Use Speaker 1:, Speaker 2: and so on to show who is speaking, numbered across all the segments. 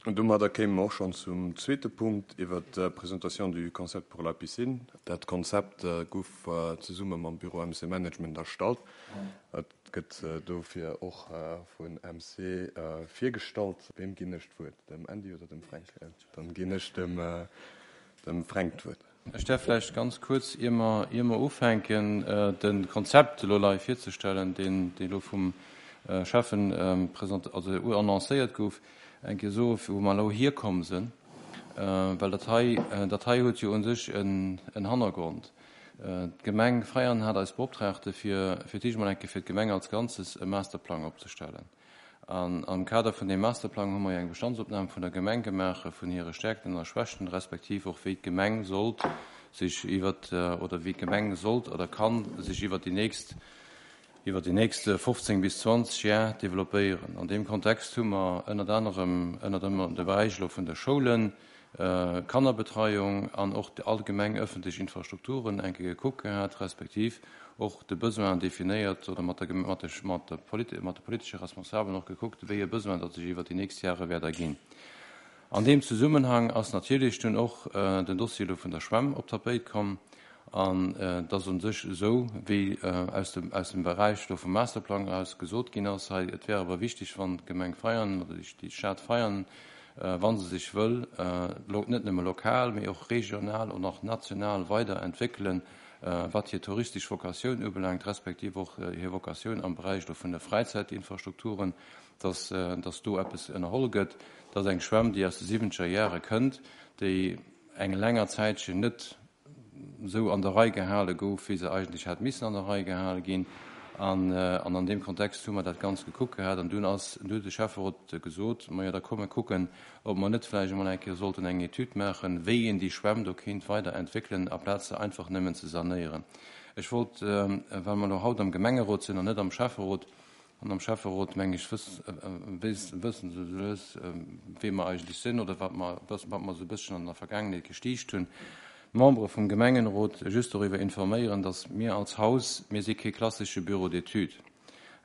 Speaker 1: Domadder kéime mer och schonn zum zweete Punkt iwwert d'Présentation du concept pour la piscine. Dat Konzept gouf zesumme mam Büro MC Management erstallt. Et gëtt dofir och vun MC virgestallt. Weem ginn ech d'Wuert, dem Andy oder dem Fränk? Dann ginn ech dem Fränk d'Wuert.
Speaker 2: Ech däerf vläicht ganz kuerz, ier mer, ier mer ufänken, de Konzept elo lei virzestellen, deen, dee elo vum Schäffen present, also annoncéiert gouf, eng Kéier soen, wou mer elo hierkomm sinn, well dat hei, dat hei huet jo u sech en, en Hannergrond. D'Gemeng Veianen hat eis beoptraagte fir, fir d'éischt emol eng Kéier fir d'Gemeng als Ganzes e Masterplang opzestellen. An am Kader vun deem Masterplang hu mer jo eng Bestandsopnam vun der Gemeng gemaach, vun hire Stärkten a Schwächten, respektiv och wéi d'Gemeng sollt sech iwwert, oder wéi d'Gemeng sollt oder kann sech iwwert déi nächst, iwwert déi nächst 15 bis 20 Jar developpéieren. An deem Kontext hu mer ënnert anerem, ënnert anerem de Beräich elo vun de Schoulen, Kannerbetreiung an och allgemeng öffentlech Infrastrukturen eng Kéier gekuckt gehat, respektiv och de Besoin definéiert oder mat der, mat de, mat de mat de politesche Responsabelen och gekuckt, wéi e Besoin datt sech iwwert déi nächst Jahre wäert erginn. An deem Zesummenhang ass natierlech dunn och den Dossier elo vun der Schwämm op d'Tapéit komm. An et ass u sech esou, wéi aus dem, aus dem Beräich do vum Masterplang eraus gesot ginn ass hei, et wär awer wichteg, wann d'Gemeng Veianen oder déi Stad Veianen, wa se sech wëll net nëmme lokal, mee och regional an och national weider entwéckelen, wat hir touristesch Vocatioun ubelaangt, respektiv och hir Vocatioun am Beräich elo vun de Fräizäitinfrastrukturen, dass, dass do eppes ënnerholl gëtt. Dat ass eng Schwämm, déi aus de siwwenzeger Jahre kënnt, déi eng länger Zäitchen net esou an der Rei gehale gouf, wéi se eigentlech hätt missen an der Rei gehale ginn. An an deem Kontext hu mer dat Ganzt gekuckt gehat. An dunn ass, dunn huet de Schäfferot gesot, Majo, da komm mer kucken, ob mer net vläicht emol eng Kéier sollten eng Etüd maachen, wéi een déi Schwämm do kéint weider entwéckelen, aplaz se einfach nëmmen ze sanéieren. Ech wollt, well mer elo haut am Gemengerot sinn an net am Schäfferot, An am Schäfferot, meng ech, wëssen se sou lues, wee mer eigentlech sinn oder wat mer, wat mer esou e bësschen an der Vergaangenheet gestiicht hunn. D'Membere vum Gemengenrot just doriwwer informéieren, datt mir als Haus, mir si kee klassesche Bureau d'études.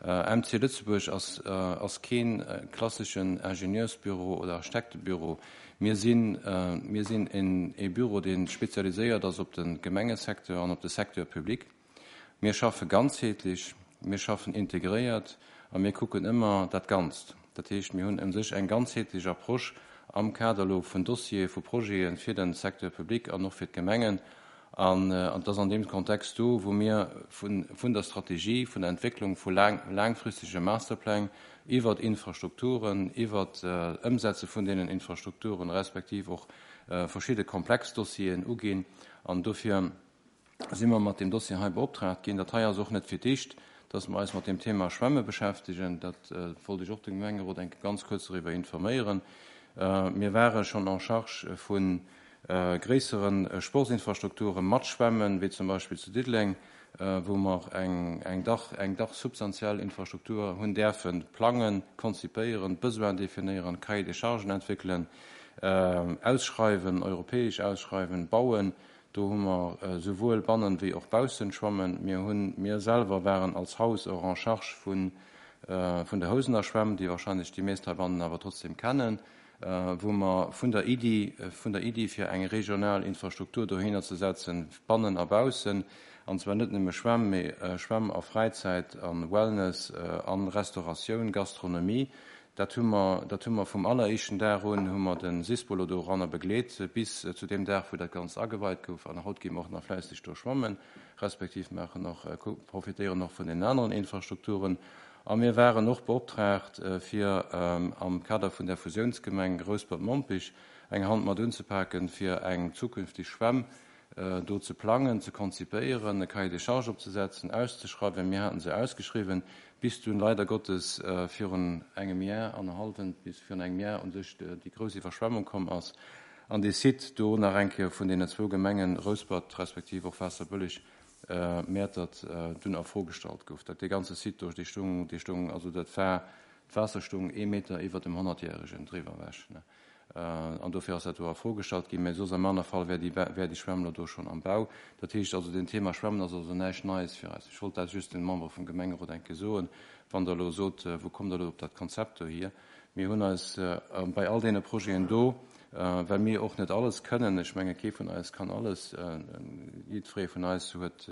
Speaker 2: MC Lëtzebuerg ass, ass kee klasseschen Ingenieursbüro oder Architektebüro. Mir sinn, mir sinn en, ee Büro, dee spezialiséiert ass op de Gemengesecteur an op de Secteur public. Mir schaffe ganzheetlech, mir schaffen integréiert a mir kucken ëmmer dat Ganzt. Dat heescht, mir hunn u sech eng ganzheetlech Approche am Kader elo vun Dossiere, vu Projete fir de Secteur public an och fir d'Gemengen. An et ass an deem Kontext do, wou mir vun der Strategie, vun der Entwécklung vu laangfristege Masterpläng iwwert Infrastrukturen, iwwert d'Ëmsetze vun deenen Infrastrukturen, respektiv och verschidde komplex Dossieren uginn. An dofir si mer mat deem Dossier hei beoptraagt ginn. Dat hei ass och net fir d'éischt, dass mer eis mat deem Thema Schwämme beschäftegen. Dat wollt ech och de Gemengerot eng Kéier ganz kuerz doriwwer informéieren. Mir ware schonn en charge vu gréissere Sportsinfrastrukture mat Schwämmen, wéi zum Beispill zu Diddeleng, wou mer eng dach eng dach substantiell Infrastruktur hunn däerfe plangen, konzipéieren, d'Besoinen definéieren, Cahier des charges entwéckelen, ausschreiwen, europäesch ausschreiwen, bauen. Do hu mer souwuel bannen wéi och baussen schwammen. Mir hunn, mir selwer waren als Haus och en charge vun, vun der Housener Schwämm, déi wahrscheinlech déi meest heibannen awer trotzdem kennen, wou mer vun der Iddi, vun der Iddi fir eng regional Infrastruktur dohinner ze setzen, bannen a baussen, an zwar net nëmme Schwämm, mee Schwämm a Fräizäit a Wellness a Restauratioun, Gastronomie, Dat hu mer, dat hu mer vum alleréischten Dag un, hu mer de SISPO elo doranner begleet, bis zu deem Dag, wou dat Ganzt ageweit gouf. An haut gi mer och nach fläisseg do schwammen, respektiv maachen och, profitéieren och vun deenen aneren Infrastrukturen. A mir waren och beoptraagt, fir am Kader vun där Fusiounsgemeng Rouspert-Mompich eng Hand mat unzepaken, fir eng zukünftig Schwämm do ze plangen, ze konzipéieren, e Cahier des charges opzesetzen, auszeschreiwen. Mir haten se ausgeschriwwen, bis dunn leider Gottes virun engem Jar, annerhallwent, bis virun engem Jar u sech déi grouss Iwwerschwemmung komm ass an dee Site do nach eng Kéier vun deenen zwou Gemengen, Rouspert respektiv och Waasserbëlleg, Mäertert, dunn a Fro gestallt gouf. Dat dee ganze Site do, dee stoung, dee stoung, also dat war, d'Waasser stoung ee Meter iwwert dem Honnertjäregen driwwer ewech. An dofir ass dat do a Fro gestallt ginn. Mä soss am aner Fall wär déi, wär déi Schwämm elo do schonn am Bau. Dat heescht also, den Thema Schwämmen ass also näischt Neies fir eis. Ech wollt dat just den Membere vum Gemengerot eng Kéier soen. Wann Der elo sot, Wou kommt Der elo op dat Konzept dohier? Mir hunn eis bei all deene Projeten do, well mir och net alles kënnen, ech menge kee vun eis kann alles, jiddweree vun eis huet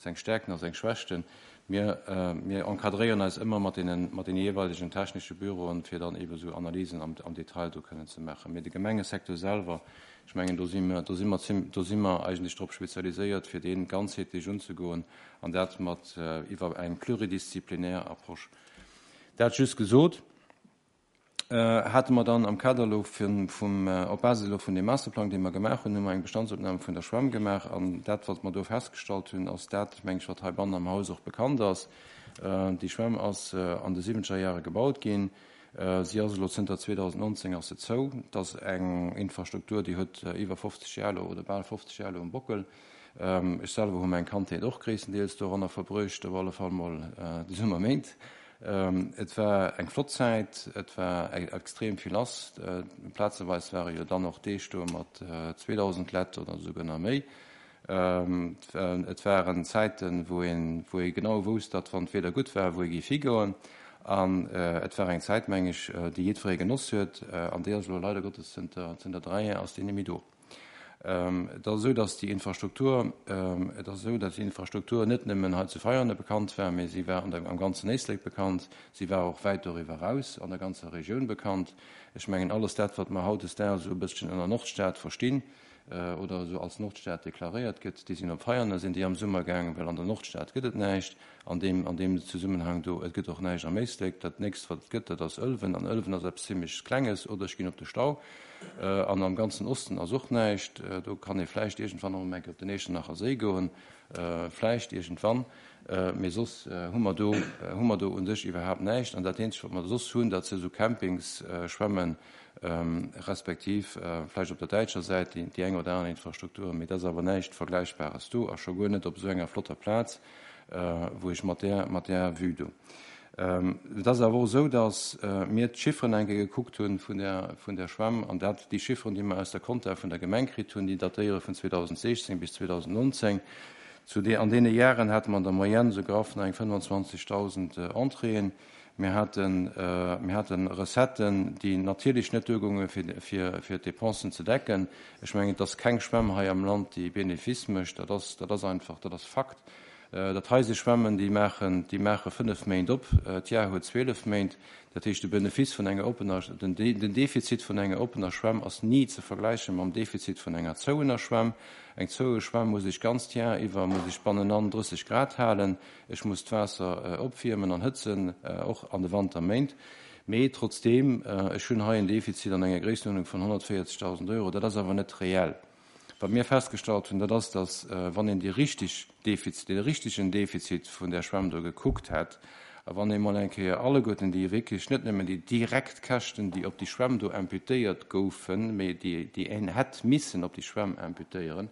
Speaker 2: seng Stärkten a seng Schwächten, mir, mir encadréieren eis ëmmer mat deenen, mat deene jeeweilegen technesche Büroen, fir dann eebe sou Analysen am, am Detail do kënnen ze maachen. Mee de Gemengesecteur selwer, ech mengen, do si mir, do si mer zim, do si mer eigentlech drop spezialiséiert, fir dee ganzheetlech unzegoen an dat mat iwwer eng pluridisziplinär Approche. Dat just gesot, hate mer dann am Kader elo vum, op Basis elo vun deem Masterplang, dee mer gemaach hunn, hu mer eng Bestandsopnam vun der Schwämm gemaach. An dat, wat mer do festgestallt hunn, ass dat, meng ech, wat heibannen am Haus och bekannt ass. Déi Schwämm ass an de siwwenzeger Jahre gebaut ginn. Si ass elo zënter 2019 ass se zou. Et ass eng Infrastruktur, déi huet iwwer 50 Jar elo oder bal 50 Jar elo um Bockel. Ech selwer hu meng Kandheet och gréisstendeels doranner verbruecht, op alle Fall mol déi Summerméint. Et war eng flott Zäit, et war extrem vill lass. Plazeweis ware jo dann och Deeg do mat 2.000 Lett oder esouguer nach méi. Et waren Zäiten, wou een, wou ee genau wousst, datt wann d'Wieder gutt war, wou ee géif higoen. An et war eng Zäit, meng ech, déi jiddweree genoss huet. An déi ass elo leider Gottes zënter, zënter 3 Jar ass déi net méi do. Et ass esou, datt déi Infrastruktur, et ass esou, datt déi Infrastruktur net nëmmen hei zu Veianen bekannt war, mee si war an der, am ganzen Éislek bekannt, si war och wäit doriwwer eraus an der ganzer Regioun bekannt. Ech mengen, alles dat, wat mer hautdesdaags esou e bësschen ënner Nordstad verstinn oder esou als Nordstad deklaréiert gëtt, déi sinn op Veianen, sinn déi am Summer gaangen, well an der Nordstad gëtt et näischt an deem, an deem Zesummenhang do. Et gëtt och näischt am Éislek. Dat nächst, wat et gëtt, dat ass Ëlwen, an Ëlwen ass eppes zimlech Klenges, oder ech ginn op de Stau. An am ganzen Osten ass och näischt. Do kann ee vläicht iergendwann och emol eng Kéier op den Echternacher Séi goen, vläicht iergendwann. Mee soss hu mer do, hu mer do u sech iwwerhaapt näischt. An dat eenzegt, wat mer soss hunn, dat si sou Campingsschwämmen, respektiv vläicht op der däitscher Säit déi eng oder aner Infrastruktur. Mee et ass awer näischt Vergläichbares do a scho guer net op esou enger flotter Plaz, wou ech mat där, mat där Vue do. Et ass awer och esou, datt mir d'Chifferen eng Kéier gekuckt hunn vun der, vun der Schwämm, an dat, déi Chifferen, déi mer aus der Compta vun der Gemeng kritt hunn, déi datéiere vun 2016 bis 2019. Zu de, an deene Jaren hate mer an der Moyenne esou graff nach eng 25.000 Entréeën. Mir haten, mir hate Recetten, déi natierlech net duergoungen, fir, fir, fir d'Dépensen ze decken. Ech mengen, et ass keng Schwämm hei am Land, déi Bénéfice mécht. Dat ass, dat ass einfach, dat ass Fakt. Dat hei si Schwämmen, déi maachen, déi maache 5 Méint op. D'Jar huet 12 Méint. Dat heescht, de Benefice vun enger oppener, den Defizit vun enger oppener Schwämm ass ni ze vergläiche mam Defizit vun enger zouener Schwämm. Eng zoue Schwämm muss ech ganz d'Jar iwwer, muss ech bannenan 30 Grad halen. Ech muss d'Waasser opwiermen an hëtzen, och an de Wanterméint. Mee trotzdeem, ech hunn hei en Defizit an enger Gréissenuerdnung vun 140.000 Euro. Dat ass awer net reell. Wat mir festgestallt hunn, dat ass, datt, wann een déi richtig Defizit, dee richtegen Defizit vun där Schwämm do gekuckt hätt, a wann ee mol eng Kéier alleguerten déi wierklech, net nëmmen déi direkt Käschten, déi op déi Schwämm do imputéiert goufen, mee déi, déi een hätt missen op déi Schwämm imputéieren,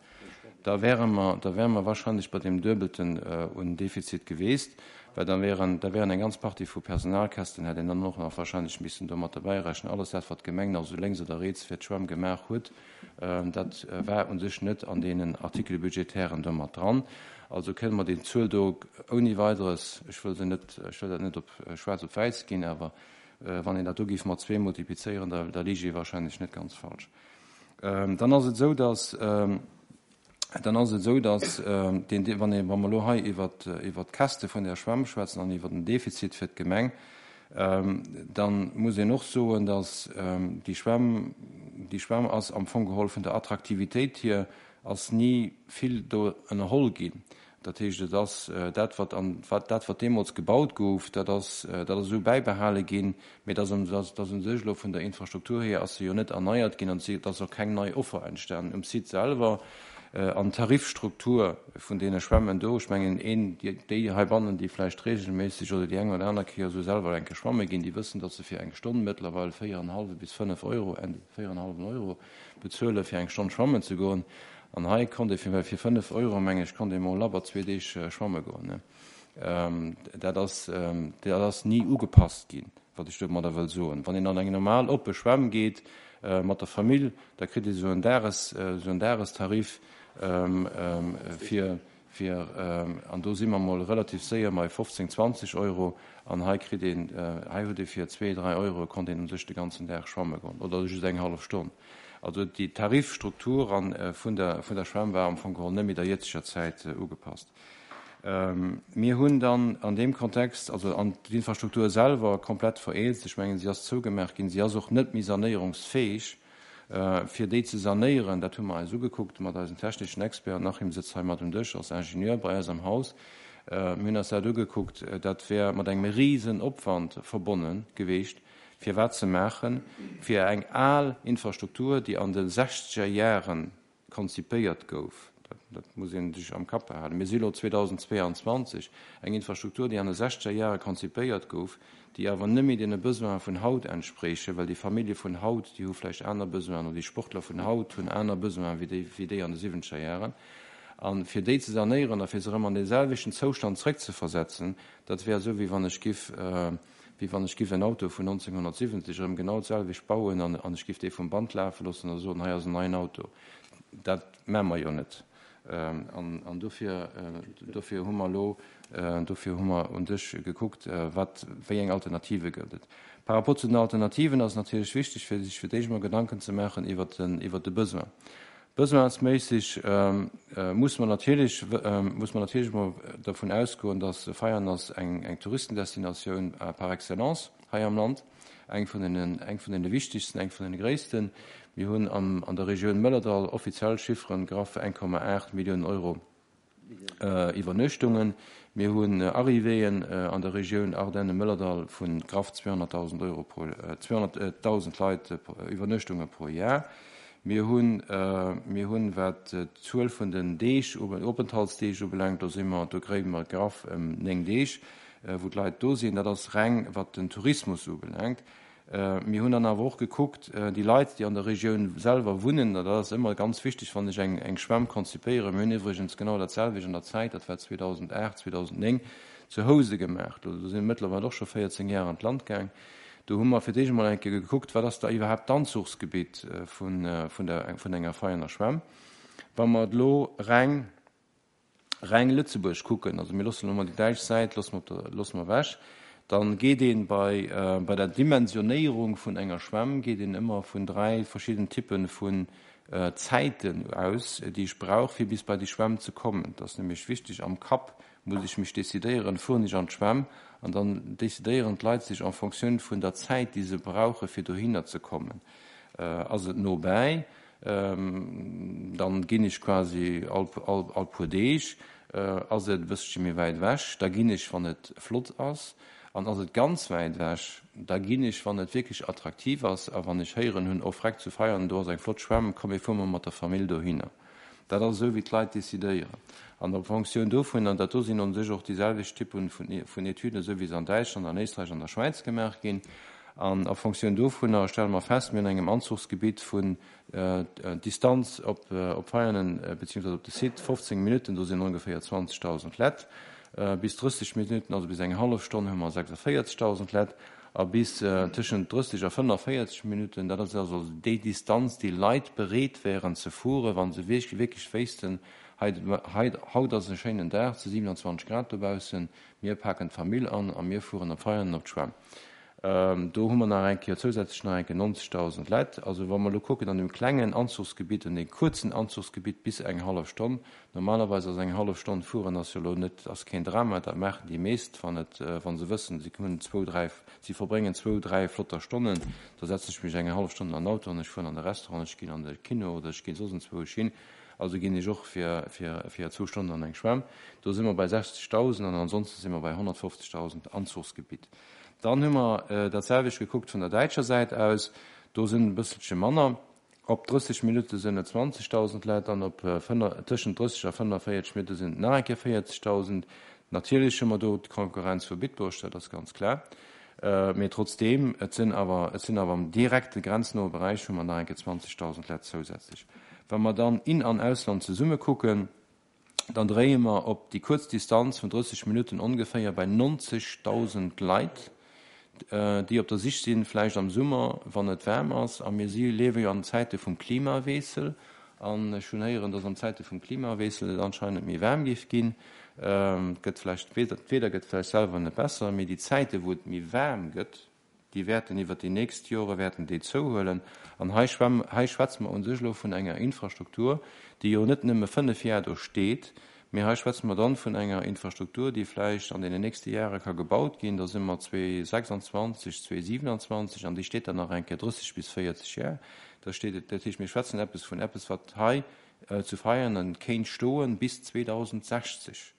Speaker 2: da wäre mer, da wäre mer wahrscheinlech bei deem Duebelten un Defizit geweest, well da wären, da wären eng ganz Partie vu Personalkästen hätt een dann och nach wahrscheinlech missen do mat derbäirechnen, alles dat, wat d'Gemeng nach esou lénks oder riets fir d'Schwämm gemaach huet. Dat war u sech net an deenen Articles budgétairen do mat dran. Also kënne mer déi Zuel do ouni Weideres, ech wëll se net, ech wëll dat net op schwaarz op wäiss ginn, awer wann een dat do géif mat zwee multiplizéieren, da da lige ee wahrscheinlech net ganz falsch. Dann ass et esou, dass, dann ass et esou, dass deen, wann ee, wa mer elo hei iwwert, iwwert d'Käschte vun där Schwämm schwätzen an iwwer den Defizit fir d'Gemeng, dann muss een och soen, dass déi Schwämm, déi Schwämm ass am Fong geholl vun der Attraktivitéit hier ass ni vill do ënnerholl ginn. Dat heescht, et ass dat, wat an, wat, dat, wat deemools gebaut gouf, dat ass, dat ass esou bäibehale ginn, mee et ass, et ass u sech elo vun der Infrastruktur hier ass se jo net erneiert ginn an et ass och keng nei Offer entstanen um Site selwer. An d'Tarifstruktur vun deene Schwämmen do, ech mengen, een, déi heibannen, déi vläicht regelméisseg oder déi eng oder aner Kéier esou selwer eng Kéier schwamme ginn, déi wëssen, datt se fir eng Stonn mëttlerweil véier an e hallwe bis fënnef Euro, véier an e hallwen Euro bezuele fir eng Stonn schwammen ze goen. An hei konnt ee fir fënnef Euro, meng ech, konnt ee mol labber zwee Deeg schwamme goen. Dat ass, dat ass ni ugepasst ginn, wat ech domadder wëll soen. Wann een an eng normal oppe Schwämm geet mat der Famill, da kritt ee sou en Dages, sou en Dagestarif fir. Fir, an do si mer mol relativ séier bei 15, 20 Euro. An hei kritt een, hei huet ee fir zwee, dräi Euro konnt een u sech de ganzen Dag schwamme goen oder just eng hallef Stonn. Also déi Tarifstruktur an vun der, vun der Schwämm war am Fong geholl net méi der jëtzeger Zäit ugepasst. Mir hunn dann an deem Kontext, also an d'Infrastruktur selwer komplett vereelzt, ech mengen si ass zougemaach ginn, si ass och net méi sanéierungsfäeg. Fir déi ze sanéieren, dat hu mer eis ugekuckt mat eisen techneschen Experten, den Achim sëtzt hei mat um Dësch, ass Ingenieur bei eis am Haus, mir hunn eis dat ugekuckt, dat wär mat engem risen Opwand verbonne geweecht, fir wat ze maachen, fir eng al Infrastruktur, déi an de sechzeger Jaren konzipéiert gouf, dat muss ee sech am Kapp behalen, mir si elo 2022, eng Infrastruktur, déi an de sechzeger Jahre konzipéiert gouf, déi awer net méi deene Besoine vun haut entsprechen, well déi Famillje vun haut, déi hu vläicht aner Besoinen, oder déi Sportler vun haut hunn aner Besoinen wéi déi, wéi déi an de siwwenzeger Jahren. A fir déi ze sanéieren a fir se erëm an deeselwechten Zoustand zrëckzeversetzen, dat wär esou, wéi wann ech giff, wéi wann ech giff en Auto vun 1970 erëm genau d'selwecht bauen an ech giff dee vum Band lafe loossen a soen, hei ass en neien Auto. Dat maache mer jo net. An dofir, dofir hu mer elo, dofir hu mer un sech gekuckt, wat, wéi eng Alternative gëtt et. Par rapport zu den Alternativen ass et natierlech wichteg, fir sech fir d'éischt emol Gedanken ze maachen iwwert den, iwwert de Besoin. Besoinsméisseg muss mer natierlech, muss mer natierlech emol dervun ausgoen, dass Veianen ass eng, eng Touristendestinatioun par excellence hei am Land, eng vun den, eng vun deene wichtigsten, eng vun deene gréissten. Mir hunn am, an der Regioun Mëllerdall offiziell Chifferen, graff 1,8 Milliounen Euro Iwwernuechtungen. Mir hunn Arrivéeën an der Regioun Ardennen-Mëllerdall vu graff 200.000 Euro pro, 200.000 Leit, Iwwernuechtunge pro Jar. Mir hunn, mir hunn, wat d'Zuel vun den Deeg, Openthaltsdeeg ubelaangt, do si mer, do kréie mer graff ëm 9 Deeg, wou d'Leit do sinn. Dat ass reng wat den Tourismus ubelaangt. Mir hunn dann awer och gekuckt, déi Leit, déi an der Regioun selwer wunnen, dat ass ëmmer ganz wichteg, wann ech eng Schwämm konzipéieren, mir hunn iwwregens genau dat selwecht an der Zäit, dat war 2008, 2009, zu Housen gemaach, do si mëttlerweil och scho 14 Jahre an d'Land gaang, do hu mer fir d'éischt emol eng Kéier gekuckt, wat ass da iwwerhaapt d'Anzuchsgebitt vun enger Veianer Schwämm. Wa mer et elo reng reng Lëtzebuerg kucken, also mir loossen elo mol déi däitsch Säit loosse mer op der, loosse mer ewech, dann geet ee bei, bei der Dimensionéierung vun enger Schwämm geet een ëmmer vun dräi verschidden Typpe vun Zäiten aus, déi ech brauch, fir bis bei déi Schwämm ze kommen. Et ass nämlech wichteg, am Kapp muss ech mech decidéieren, fueren ech an d'Schwämm? An dann decidéieren d'Leit sech en Fonctioun vun der Zäit, déi se brauche fir dohinner ze kommen. Ass et nobäi? Dann ginn ech quasi all all puer Deeg. Ass et e bësselche méi wäit ewech, da ginn ech wann et flott ass. An ass et ganz wäit ewech, da ginn ech wann et wierklech attraktiv ass a wann ech héieren hunn, oh freck zu Veianen do ass eng flott Schwämm, komm mir fuere mol mat der Famill dohinner. Dat ass esou wéi d'Leit decidéieren. An op Fonctioun dovun, an dat do sinn un sech och déi selwecht Typen vun Etüden, esou wéi se an Däitschland, an Éisträich an der Schwäiz gemaach ginn, an a Fonctioun dovunner stelle mer fest, mir hunn engem Anzuchsgebitt vun Distanz op Veianen beziehungsweise op de Site 15 Minutten, do sinn ongeféier 20.000 Lett, bis 30 Minutten, also bis eng hallef Stonn, hu mer 46.000 Lett, A bis tëschent 30 a 45 Minutten, dat ass also déi Distanz, déi Leit bereet wären ze fueren, wa se wierklech wéissten, hei, hei, haut ass e schéinen Dag, et si 27 Grad dobaussen, mir paken d'Famill an a mir fueren op Veianen op d'Schwämm. Do hu mer nach eng Kéier zousätzlech nach eng Kéier 90.000 Leit. Also wa mer elo kucken an deem klengen Anzuchsgebitt, an deem kuerzen Anzuchsgebitt bis eng hallef Stonn, Normalerweis ass eng hallef Stonn fueren ass jo elo net, ass keen Drama, dat maachen déi meescht, wann et, wa se wëssen, si hunn zwou, dräi, si verbréngen zwou, dräi flotter Stonnen, da setzen ech mech eng hallef Stonn an den Auto an ech fueren an de Restaurant, ech ginn an de Kino oder ech ginn soss enzwousch hin. Also ginn ech och fir, fir, fir zwou Stonnen an eng Schwämm. Do si mer bei 60.000 an ansonsten si mer bei 150.000 Anzuchsgebitt. Dann hu mer dat selwecht gekuckt vun der däitscher Säit aus, do sinn e bësselche manner. Op 30 Minutte sinn et 20.000 Leit an op tëschent 30 a 45 Minutte sinn et nach eng Kéier 40.000. Natierlech hu mer do d'Konkurrenz vu Bitburg, dat ass ganz klar. Mee trotzdeem, et sinn awer, et sinn awer am direkte grenznahe Beräich hu mer nach eng Kéier 20.000 Leit zousätzlech. Wa mer dann In an Ausland zesumme kucken, dann dréie mer op déi kuerz Distanz vun 30 Minutten ongeféier bei 90.000 Leit, déi op der Sich sinn, vläicht am Summer, wann et waarm ass. A mir si liewe jo an Zäite vum Klimawiessel. An ech hunn héieren, dass an Zäite vum Klimawiessel et anscheinend méi waarm géif ginn. Et gëtt vläicht, d'Wieder gëtt vläicht selwer net besser, mee déi Zäite wou et méi waarm gëtt, déi wäerten iwwert déi nächst Jore wäerten déi zouhuelen. An hei schwämm, hei schwätze mer u sech elo vun enger Infrastruktur, déi jo net nëmme 5 Jar do steet, mee hei schwätze mer dann vun enger Infrastruktur, déi vläicht an deenen nächste Jahre ka gebaut ginn, da si mer 2026, 2027, an déi steet dann nach eng Kéier 30 bis 40 Jar. Da steet et, dat heescht, mir schwätzen eppes vun eppes, wat hei zu Veianen kéint stoen bis 2060.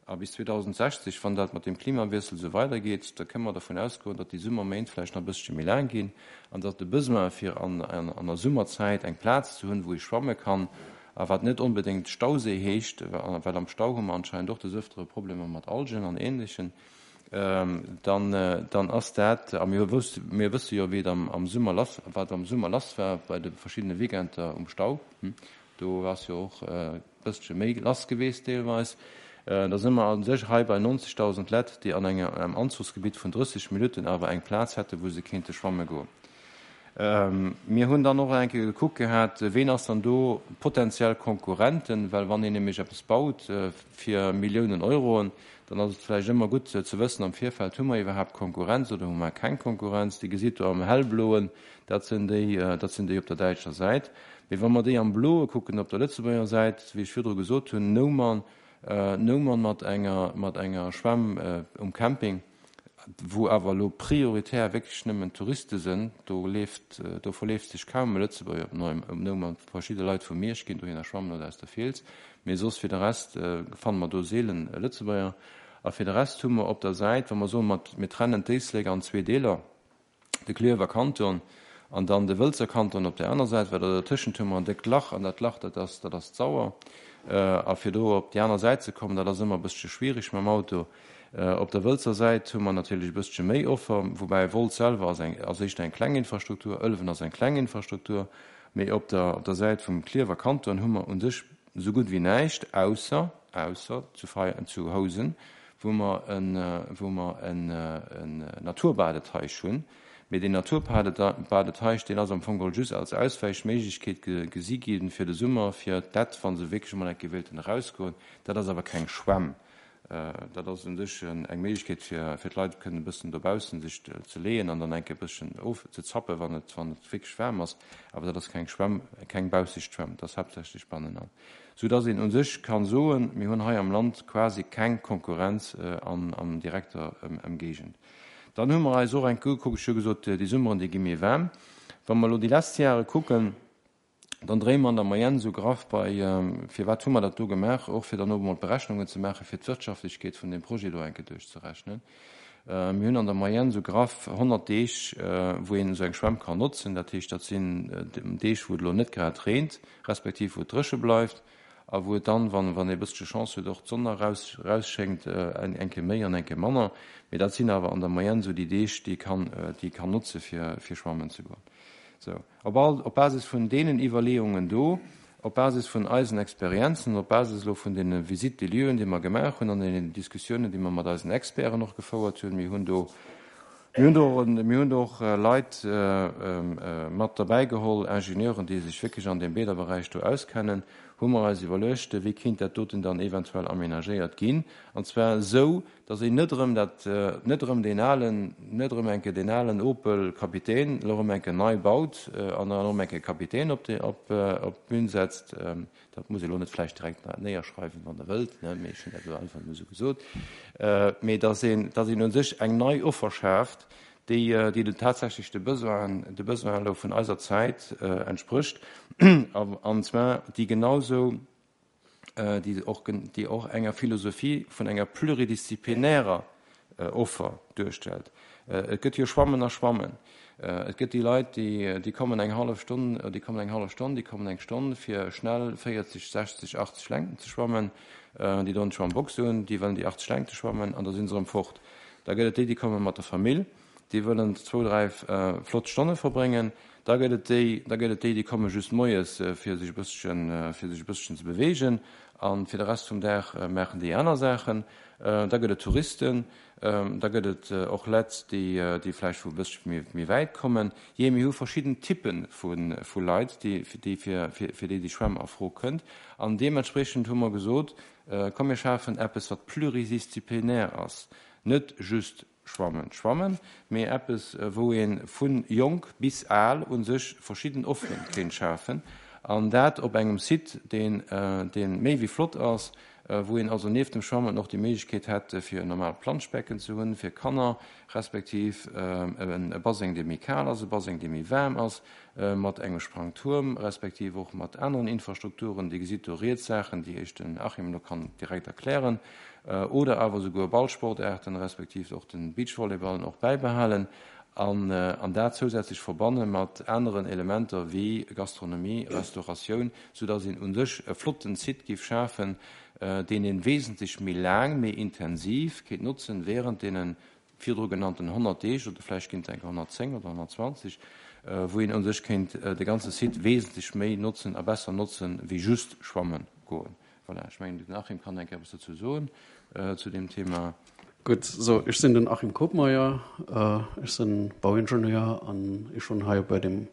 Speaker 2: A bis 2060, wann dat mat dem Klimawiessel esou weidergeet, da kënne mer dervun ausgoen, datt déi Summerméint vläicht nach e bëssche méi laang ginn an datt de Besoin, fir an der Summerzäit eng Plaz ze hunn, wou ee schwamme kann, a wat net onbedéngt Stauséi heescht, well am Stau hu mer anscheinend och des Ëftere Problemer mat Algen an Ähnlechen, dann, dann ass dat, a mir wous, mir wësse jo, wéi et am, am Summer lass, wat am Summer lass war bei de verschiddene Weekender um Stau, do ass jo och e bëssche méi lass geweest deelweis. Da si mer a sech hei bei 90.000 Lett, déi an engem Anzuchsgebitt vun 30 Minutten awer eng Plaz hätte wou se kéinte schwamme goen. Mir hunn dann och eng Kéier gekuckt gehat, ween ass dann do potenziell Konkurrenten, well wann een nämlech eppes baut fir Milliounen Euroen, dann ass et vläicht ëmmer gutt ze wëssen am Virfeld, hu mer iwwerhaapt Konkurrenz oder hu mer keng Konkurrenz. Dir gesitt do am hellbloen, dat sinn déi, dat sinn déi op der däitscher Säit. Mee wa mer déi am bloe kucken op der Lëtzebuerger Säit, wéi ech virdru gesot hunn, Noumer, Noumer mat enger, mat enger Schwämm um Camping, wou awer elo prioritär wierklech nëmmen Touriste sënn, do leeft, do verleeft sech kaum e Lëtzebuerger op Neu, op Noumer. Verschidde Leit vu Miersch ginn dohinner schwammen oder aus der Fiels, mee soss fir de Rest fanne mer do seelen Lëtzebuerger. A fir de Rest hu mer op der Säit, wa mer soen, mer trennen d'Éislek an zwee Deeler, de Klierwer Kanton an dann de Wëlzer Kanton op där aner Säit, well dertëschent hu mer en déckt Lach an dat Lach, dat ass, dat ass d'Sauer. A fir do op déi aner Säit ze kommen, dat ass ëmmer e bëssche schwierig mam Auto. Op der Wëlzer Säit hu mer natierlech e bëssche méi Offer, woubäi Wolz selwer ass eng, ass éischter eng kleng Infrastruktur, Ëlwen ass eng kleng Infrastruktur, mee op der, op der Säit vum Klierwer Kanton hu mer u sech esou gutt wéi näischt, ausser, ausser zu Fei, zu Housen, wou mer en, wou mer en Naturbadeteich hunn. Mee deen Naturbadeteich, deen ass am Fong geholl just als Auswäichméiglechkeet gesi gi fir de Summer, fir d'Lett, wa se wierklech emol eng Kéier wéilten erausgoen. Dat ass awer keng Schwämm. Dat ass u sech eng Méiglechkeet, fir fir d'Leit kënnen e bëssen dobaussen sech ze leeën an dann eng Kéier e bësschen ofzezappen, wann et, wann et wierklech waarm ass. Awer dat ass keng Schwämm, keng baussegt Schwämm, dat ass haaptsächlech bannenan. Soudass een u sech ka soen, mir hunn hei am Land quasi keng Konkurrenz an, an direkter Ëmgéigend. Dann hu mer eis och eng Kéier ugekuckt, ech hu gesot, déi Summeren, déi gi méi waarm. Wa mer elo déi lesst Jahre kucken, Dann dréie mer an der Moyenne esou graff bei, firwat hu mer dat do gemaach, och fir dann och emol d'Berechnungen ze maachen, fir d'Wirtschaftlechkeet vun deem Projet do eng Kéier duerchzerechnen. Mir hunn an der Moyenne esou graff 100 Deeg, wou een esou eng Schwämm kann notzen. Dat heescht, dat sinn Deeg, wou et elo net grad reent, respektiv wou et dréche bleift a wou et dann, wann wann ee e bëssche Chance huet, och d'Sonn nach eraus erausschéngt, eng Kéier méi an eng Kéier manner. Mee dat sinn awer an der Moyenne esou déi Deeg, déi ee kann, déi ee kann notze fir fir schwammen ze goen. Sou. Op all, op Basis vun deenen Iwwerleeungen do, op Basis vun eisen Experienzen, op Basis elo vun deene Visites des lieux, déi mer gemaach hunn, an deenen Diskussiounen, déi mer mat eisen Experten och gefouert hunn, mir hunn do, mir hunn do och, mir hunn do och Leit mat derbäigeholl, Ingenieuren, déi sech wierklech an deem Bäderberäich do auskennen, hu mer eis iwwerluecht, wéi kéint dat doten dann eventuell aménagéiert ginn, an zwar esou, dass een net erëm dat, net erëm deen alen, net erëm eng Kéier deen alen Opel Kapitän elo erëm eng Kéier nei baut an dann erëm eng Kéier Kapitän op déi, op, op d'Bün setzt. Dat muss ee elo net vläicht direkt néierschreiwen, wann Der wëllt, ne, mee ech hunn dat elo einfach emol esou gesot. Mee dass een, dass een u sech eng nei Offer schaaft, déi, déi den tatsächlech de Besoinen, de Besoinen elo vun eiser Zäit entsprécht, an zwar déi genausou, déi och, déi och enger Philosophie vun enger pluridisziplinärer Offer duerstellt. Et gëtt jo Schwammen a Schwammen. Et gëtt déi Leit, déi, déi kommen eng hallef Stonn, déi kommen eng hallef Stonn, déi kommen eng Stonn, fir schnell 40, 60, 80 Längten ze schwammen, déi doen d'Schwammbox un, déi wëllen déi 80 Längte schwammen an da si se erëm fort. Da gëtt et déi, déi komme mat der Famill, déi wëllen zwou, dräi flott Stonne verbréngen. Da gëtt et déi, da gëtt et déi, déi komme just moies, fir sech e bësschen, fir sech e bësschen ze beweegen, a fir de Rest vum Dag maachen déi aner Saachen. Da gëtt et Touristen, da gëtt et och Lett, déi, déi vläicht vu e bëssche méi, méi wäit kommen. Jee, mir hu verschidden Typpe vu, vu Leit, déi, déi fir, fir, fir déi déi Schwämm a Fro kënnt. An deementspreechend hu mer gesot, Komm mir schafen eppes, wat pluridisziplinaire ass, net just Schwammen, schwammen, mee eppes wou ee vu jonk bis al u sech verschidden Offeren kéint schafen an dat op engem Site, deen méi wéi flott ass, wou een also nieft dem Schwammen och déi Méiglechkeet hätt fir en normaalt Planschbecken ze hunn fir Kanner, respektiv e Baseng dee méi kal ass, e Baseng dee méi waarm ass, mat engem Sprangtuerm, respektiv och mat aneren Infrastrukturen. Dir gesitt do riets Saachen, déi Iech den Achim elo kann direkt erklären. Oder awer esouguer Ballsportaarten, respektiv och de Beachvolleyball och bäibehalen an dat zousätzlech verbanne mat aneren Elementer wéi Gastronomie, Restauratioun, soudass een u sech e flotten Site géif schafen, deen ee wesentlech méi laang, méi intensiv kéint notzen während deene virdru genannten 100 Deeg oder vläicht ginn et enker 110 oder 120, wou een u sech kéint de ganze Site wesentlech méi notzen a besser notzen, wéi just schwamme goen. Voilà, ech mengen, den Achim kann eng Kéier eppes dozou soen, zu deem Thema.
Speaker 3: Gutt, so, ech sinn den Achim Koopmeier, ech sinn Bauingenieur an ech hunn hei bei dem,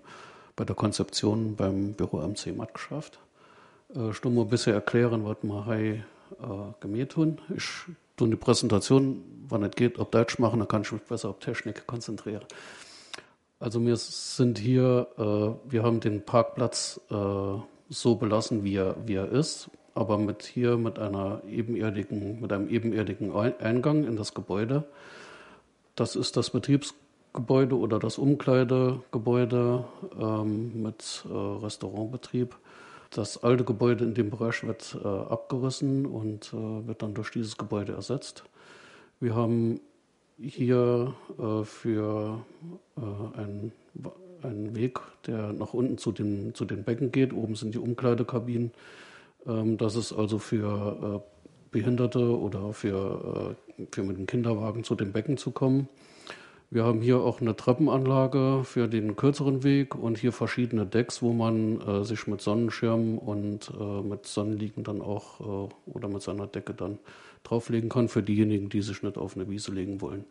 Speaker 3: bei der Konzeption beim Büro MC matgeschafft. Ech do mol e bësse erklären, wat mer hei gemeet hunn. Ech tun die Präsentation, wann et geht, op Deutsch machen, dann kann ich mich besser op Technik konzentrieren. Also wir sind hier, äh, wir haben den Parkplatz äh, so belassen, wie er, wie er ist, aber mit hier mit einer ebenerdigen, mit einem ebenerdigen Eingang in das Gebäude. Das ist das Betriebsgebäude oder das Umkleidegebäude ähm, mit äh, Restaurantbetrieb. Das alte Gebäude in dem Bereich wird äh, abgerissen und äh, wird dann durch dieses Gebäude ersetzt. Wir haben hier äh, für äh, einen, einen Weg, der nach unten zu den, zu den Becken geht. Oben sind die Umkleidekabinen. Ähm, das ist also für äh, Behinderte oder für, äh, für mit dem Kinderwagen zu den Becken zu kommen. Wir haben hier auch eine Treppenanlage für den kürzeren Weg und hier verschiedene Decks, wo man äh, sich mit Sonnenschirmen und äh, mit Sonnenliegen dann auch äh, oder mit seiner Decke dann drauflegen kann für diejenigen, die sich nicht auf eine Wiese legen wollen.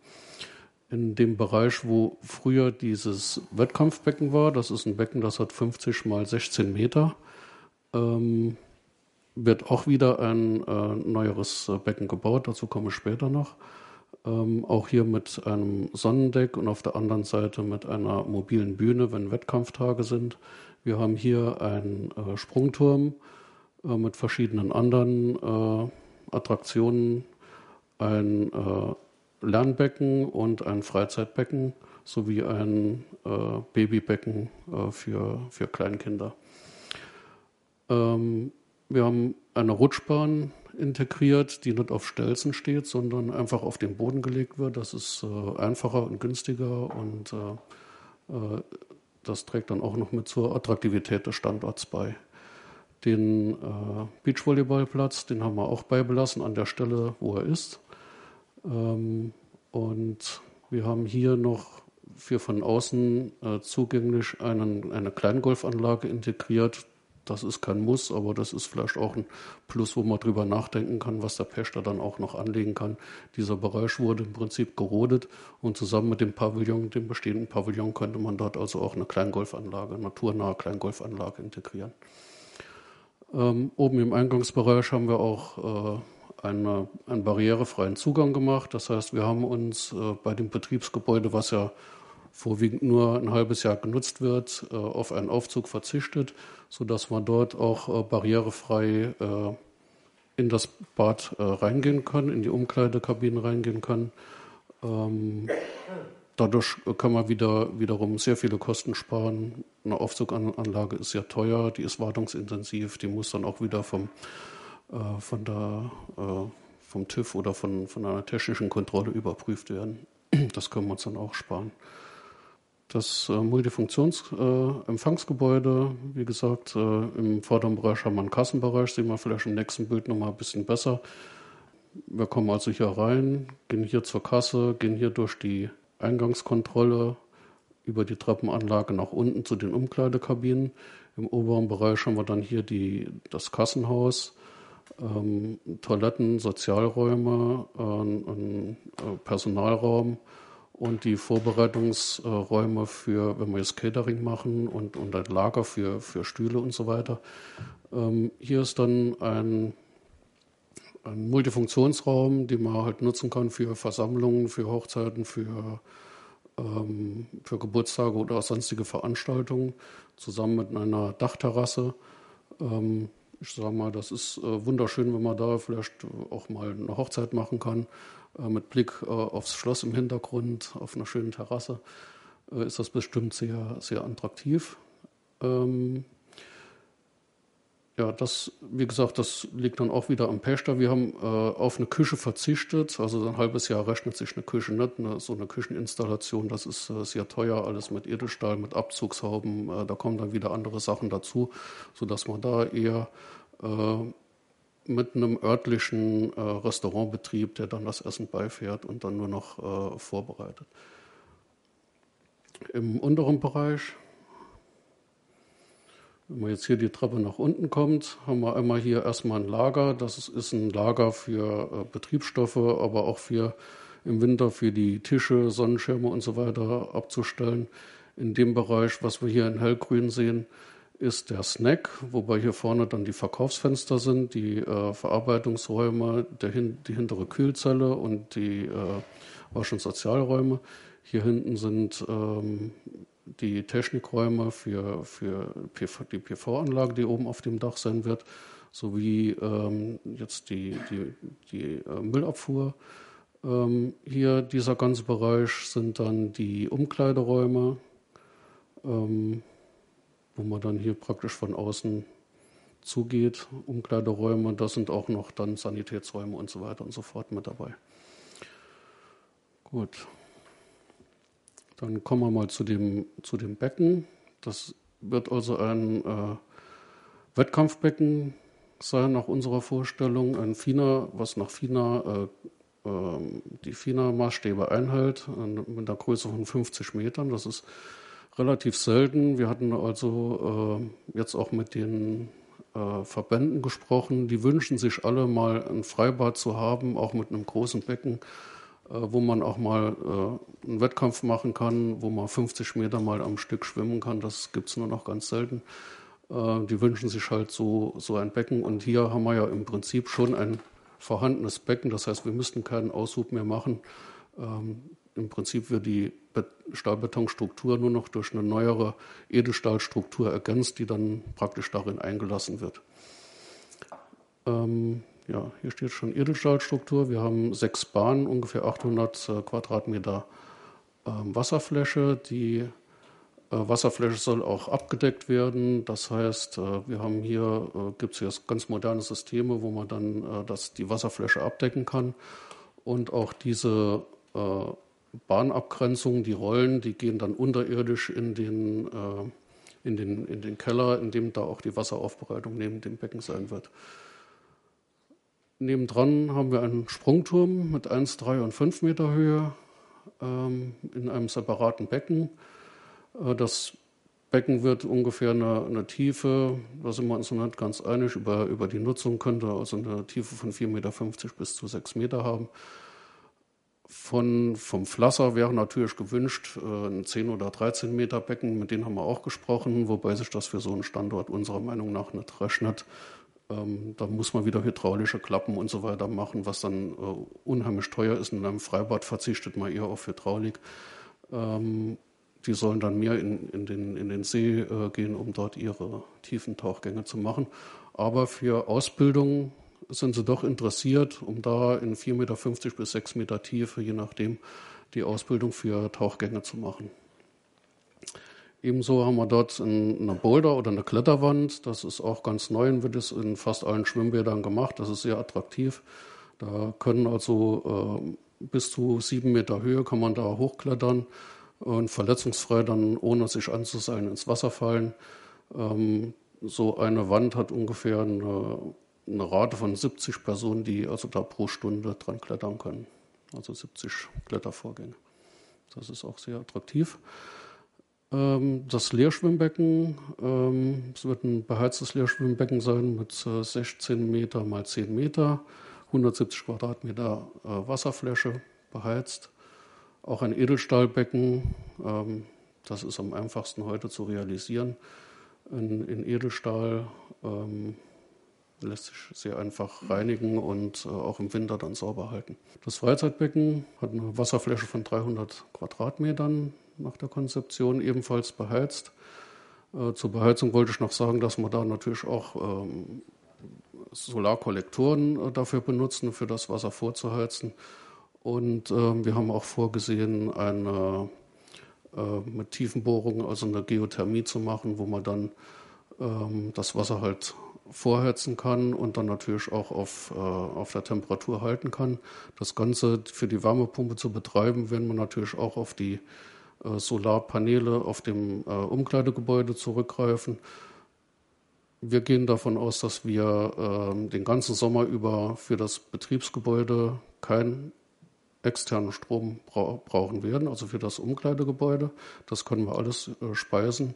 Speaker 3: In dem Bereich, wo früher dieses Wettkampfbecken war, das ist ein Becken, das hat 50 mal 16 Meter, ähm, wird auch wieder ein äh, neueres äh, Becken gebaut, dazu komme ich später noch. Ähm, auch hier mit einem Sonnendeck und auf der anderen Seite mit einer mobilen Bühne, wenn Wettkampftage sind. Wir haben hier einen äh, Sprungturm äh, mit verschiedenen anderen äh, Attraktionen, ein äh, Lernbecken und ein Freizeitbecken sowie ein äh, Babybecken äh, für, für Kleinkinder. Ähm, wir haben eine Rutschbahn integriert, die nicht auf Stelzen steht, sondern einfach auf den Boden gelegt wird. Das ist äh, einfacher und günstiger und äh, äh, das trägt dann auch noch mit zur Attraktivität des Standorts bei. Den äh, Beachvolleyballplatz, den haben wir auch beibelassen an der Stelle, wo er ist. Ähm, und wir haben hier noch für von außen äh, zugänglich einen, eine Kleingolfanlage integriert. Das ist kein Muss, aber das ist vielleicht auch ein Plus, wo man drüber nachdenken kann, was der Pächter dann auch noch anlegen kann. Dieser Bereich wurde im Prinzip gerodet und zusammen mit dem Pavillon, dem bestehenden Pavillon, könnte man dort also auch eine Kleingolfanlage, naturnahe Kleingolfanlage integrieren. Ähm, oben im Eingangsbereich haben wir auch äh, eine, einen barrierefreien Zugang gemacht. Das heißt, wir haben uns äh, bei dem Betriebsgebäude, was ja vorwiegend nur ein halbes Jahr genutzt wird, äh, auf einen Aufzug verzichtet, sodass man dort auch äh, barrierefrei äh, in das Bad äh, reingehen kann, in die Umkleidekabinen reingehen kann. Ähm, dadurch kann man wieder, wiederum sehr viele Kosten sparen. Eine Aufzuganlage ist sehr teuer, die ist wartungsintensiv, die muss dann auch wieder vom, äh, von der, äh, vom TÜV oder von, von einer technischen Kontrolle überprüft werden. Das können wir uns dann auch sparen. Das äh, Multifunktionsempfangsgebäude, äh, wie gesagt, äh, im vorderen Bereich haben wir einen Kassenbereich, sehen wir vielleicht im nächsten Bild noch mal ein bisschen besser. Wir kommen also hier rein, gehen hier zur Kasse, gehen hier durch die Eingangskontrolle. über die Treppenanlage nach unten zu den Umkleidekabinen. Im oberen Bereich haben wir dann hier die, das Kassenhaus, ähm, Toiletten, Sozialräume, äh, ein äh, Personalraum und die Vorbereitungsräume für, wenn wir jetzt Catering machen und, und ein Lager für, für Stühle und so weiter. Ähm, hier ist dann ein, ein Multifunktionsraum, den man halt nutzen kann für Versammlungen, für Hochzeiten, für, ähm, für Geburtstage oder sonstige Veranstaltungen, zusammen mit einer Dachterrasse. Ähm, ich sage mal, das ist äh, wunderschön, wenn man da vielleicht auch mal eine Hochzeit machen kann, äh, mit Blick äh, aufs Schloss im Hintergrund, auf einer schönen Terrasse, äh, ist das bestimmt sehr, sehr attraktiv. Ähm, ja, das, wie gesagt, das liegt dann auch wieder am Pächter. Wir haben äh, auf eine Küche verzichtet. Also ein halbes Jahr rechnet sich eine Küche nicht. Eine, so eine Kücheninstallation, das ist äh, sehr teuer, alles mit Edelstahl, mit Abzugshauben. Äh, da kommen dann wieder andere Sachen dazu, sodass man da eher äh, mit einem örtlichen äh, Restaurantbetrieb, der dann das Essen beifährt und dann nur noch äh, vorbereitet. Im unteren Bereich Wenn man jetzt hier die Treppe nach unten kommt, haben wir einmal hier erstmal ein Lager. Das ist ein Lager für äh, Betriebsstoffe, aber auch für im Winter für die Tische, Sonnenschirme und so weiter abzustellen. In dem Bereich, was wir hier in hellgrün sehen, ist der Snack, wobei hier vorne dann die Verkaufsfenster sind, die äh, Verarbeitungsräume, der hin, die hintere Kühlzelle und die äh, Wasch- und Sozialräume. Hier hinten sind ähm, die Technikräume für, für PV, die PV-Anlage, die oben auf dem Dach sein wird, sowie ähm, jetzt die, die, die äh, Müllabfuhr. Ähm, hier dieser ganze Bereich sind dann die Umkleideräume, ähm, wo man dann hier praktisch von außen zugeht. Umkleideräume, das sind auch noch dann Sanitätsräume und so weiter und so fort mit dabei. Gut. Dann kommen wir mal zu dem, zu dem Becken. Das wird also ein äh, Wettkampfbecken sein nach unserer Vorstellung. Ein FINA, was nach FINA, äh, äh, die FINA-Maßstäbe einhält, mit einer Größe von 50 Metern. Das ist relativ selten. Wir hatten also äh, jetzt auch mit den äh, Verbänden gesprochen. Die wünschen sich alle mal ein Freibad zu haben, auch mit einem großen Becken. Äh, wo man auch mal äh, einen Wettkampf machen kann, wo man 50 Meter mal am Stück schwimmen kann. Das gibt es nur noch ganz selten. Äh, die wünschen sich halt so, so ein Becken. Und hier haben wir ja im Prinzip schon ein vorhandenes Becken. Das heißt, wir müssten keinen Aushub mehr machen. Ähm, Im Prinzip wird die Stahlbetonstruktur nur noch durch eine neuere Edelstahlstruktur ergänzt, die dann praktisch darin eingelassen wird. Ähm, ja, hier steht schon Edelstahlstruktur. Wir haben sechs Bahnen, ungefähr 800 äh, Quadratmeter ähm, Wasserfläche. Die äh, Wasserfläche soll auch abgedeckt werden. Das heißt, äh, wir haben hier, äh, gibt es jetzt ganz moderne Systeme, wo man dann äh, das, die Wasserfläche abdecken kann. Und auch diese äh, Bahnabgrenzung, die Rollen, die gehen dann unterirdisch in den, äh, in den, in den Keller, in dem da auch die Wasseraufbereitung neben dem Becken sein wird. Nebendran haben wir einen Sprungturm mit 1, 3 und 5 Meter Höhe ähm, in einem separaten Becken. Äh, das Becken wird ungefähr eine, eine Tiefe, da sind wir uns noch nicht ganz einig, über, über die Nutzung könnte also eine Tiefe von 4,50 Meter bis zu 6 Meter haben. Von, vom Flasser wäre natürlich gewünscht äh, ein 10 oder 13 Meter Becken, mit denen haben wir auch gesprochen, wobei sich das für so einen Standort unserer Meinung nach nicht rechnet. Ähm, da muss man wieder hydraulische Klappen und so weiter machen, was dann äh, unheimlich teuer ist. In einem Freibad verzichtet man eher auf Hydraulik. Ähm, die sollen dann mehr in, in, den, in den See äh, gehen, um dort ihre tiefen Tauchgänge zu machen. Aber für Ausbildung sind sie doch interessiert, um da in 4,50 Meter bis 6 Meter Tiefe, je nachdem, die Ausbildung für Tauchgänge zu machen. Ebenso haben wir dort eine Boulder oder eine Kletterwand. Das ist auch ganz neu und wird es in fast allen Schwimmbädern gemacht. Das ist sehr attraktiv. Da können also äh, bis zu sieben Meter Höhe kann man da hochklettern und verletzungsfrei dann, ohne sich anzuseilen, ins Wasser fallen. Ähm, so eine Wand hat ungefähr eine, eine Rate von 70 Personen, die also da pro Stunde dran klettern können. Also 70 Klettervorgänge. Das ist auch sehr attraktiv. Ähm, das Leerschwimmbecken ähm, es wird ein beheiztes Leerschwimmbecken sein mit 16 Meter mal 10 Meter, 170 Quadratmeter äh, Wasserfläche beheizt. Auch ein Edelstahlbecken, ähm, das ist am einfachsten heute zu realisieren. In, in Edelstahl ähm, lässt sich sehr einfach reinigen und äh, auch im Winter dann sauber halten. Das Freizeitbecken hat eine Wasserfläche von 300 Quadratmetern nach der Konzeption ebenfalls beheizt. Äh, zur Beheizung wollte ich noch sagen, dass man da natürlich auch ähm, Solarkollektoren äh, dafür benutzen, für das Wasser vorzuheizen. Und äh, wir haben auch vorgesehen, eine äh, mit Tiefenbohrungen, also eine Geothermie zu machen, wo man dann ähm, das Wasser halt vorheizen kann und dann natürlich auch auf, äh, auf der Temperatur halten kann. Das Ganze für die Wärmepumpe zu betreiben, werden wir natürlich auch auf die äh, Solarpaneele auf dem äh, Umkleidegebäude zurückgreifen. Wir gehen davon aus, dass wir äh, den ganzen Sommer über für das Betriebsgebäude keinen externen Strom bra brauchen werden, also für das Umkleidegebäude. Das können wir alles äh, speisen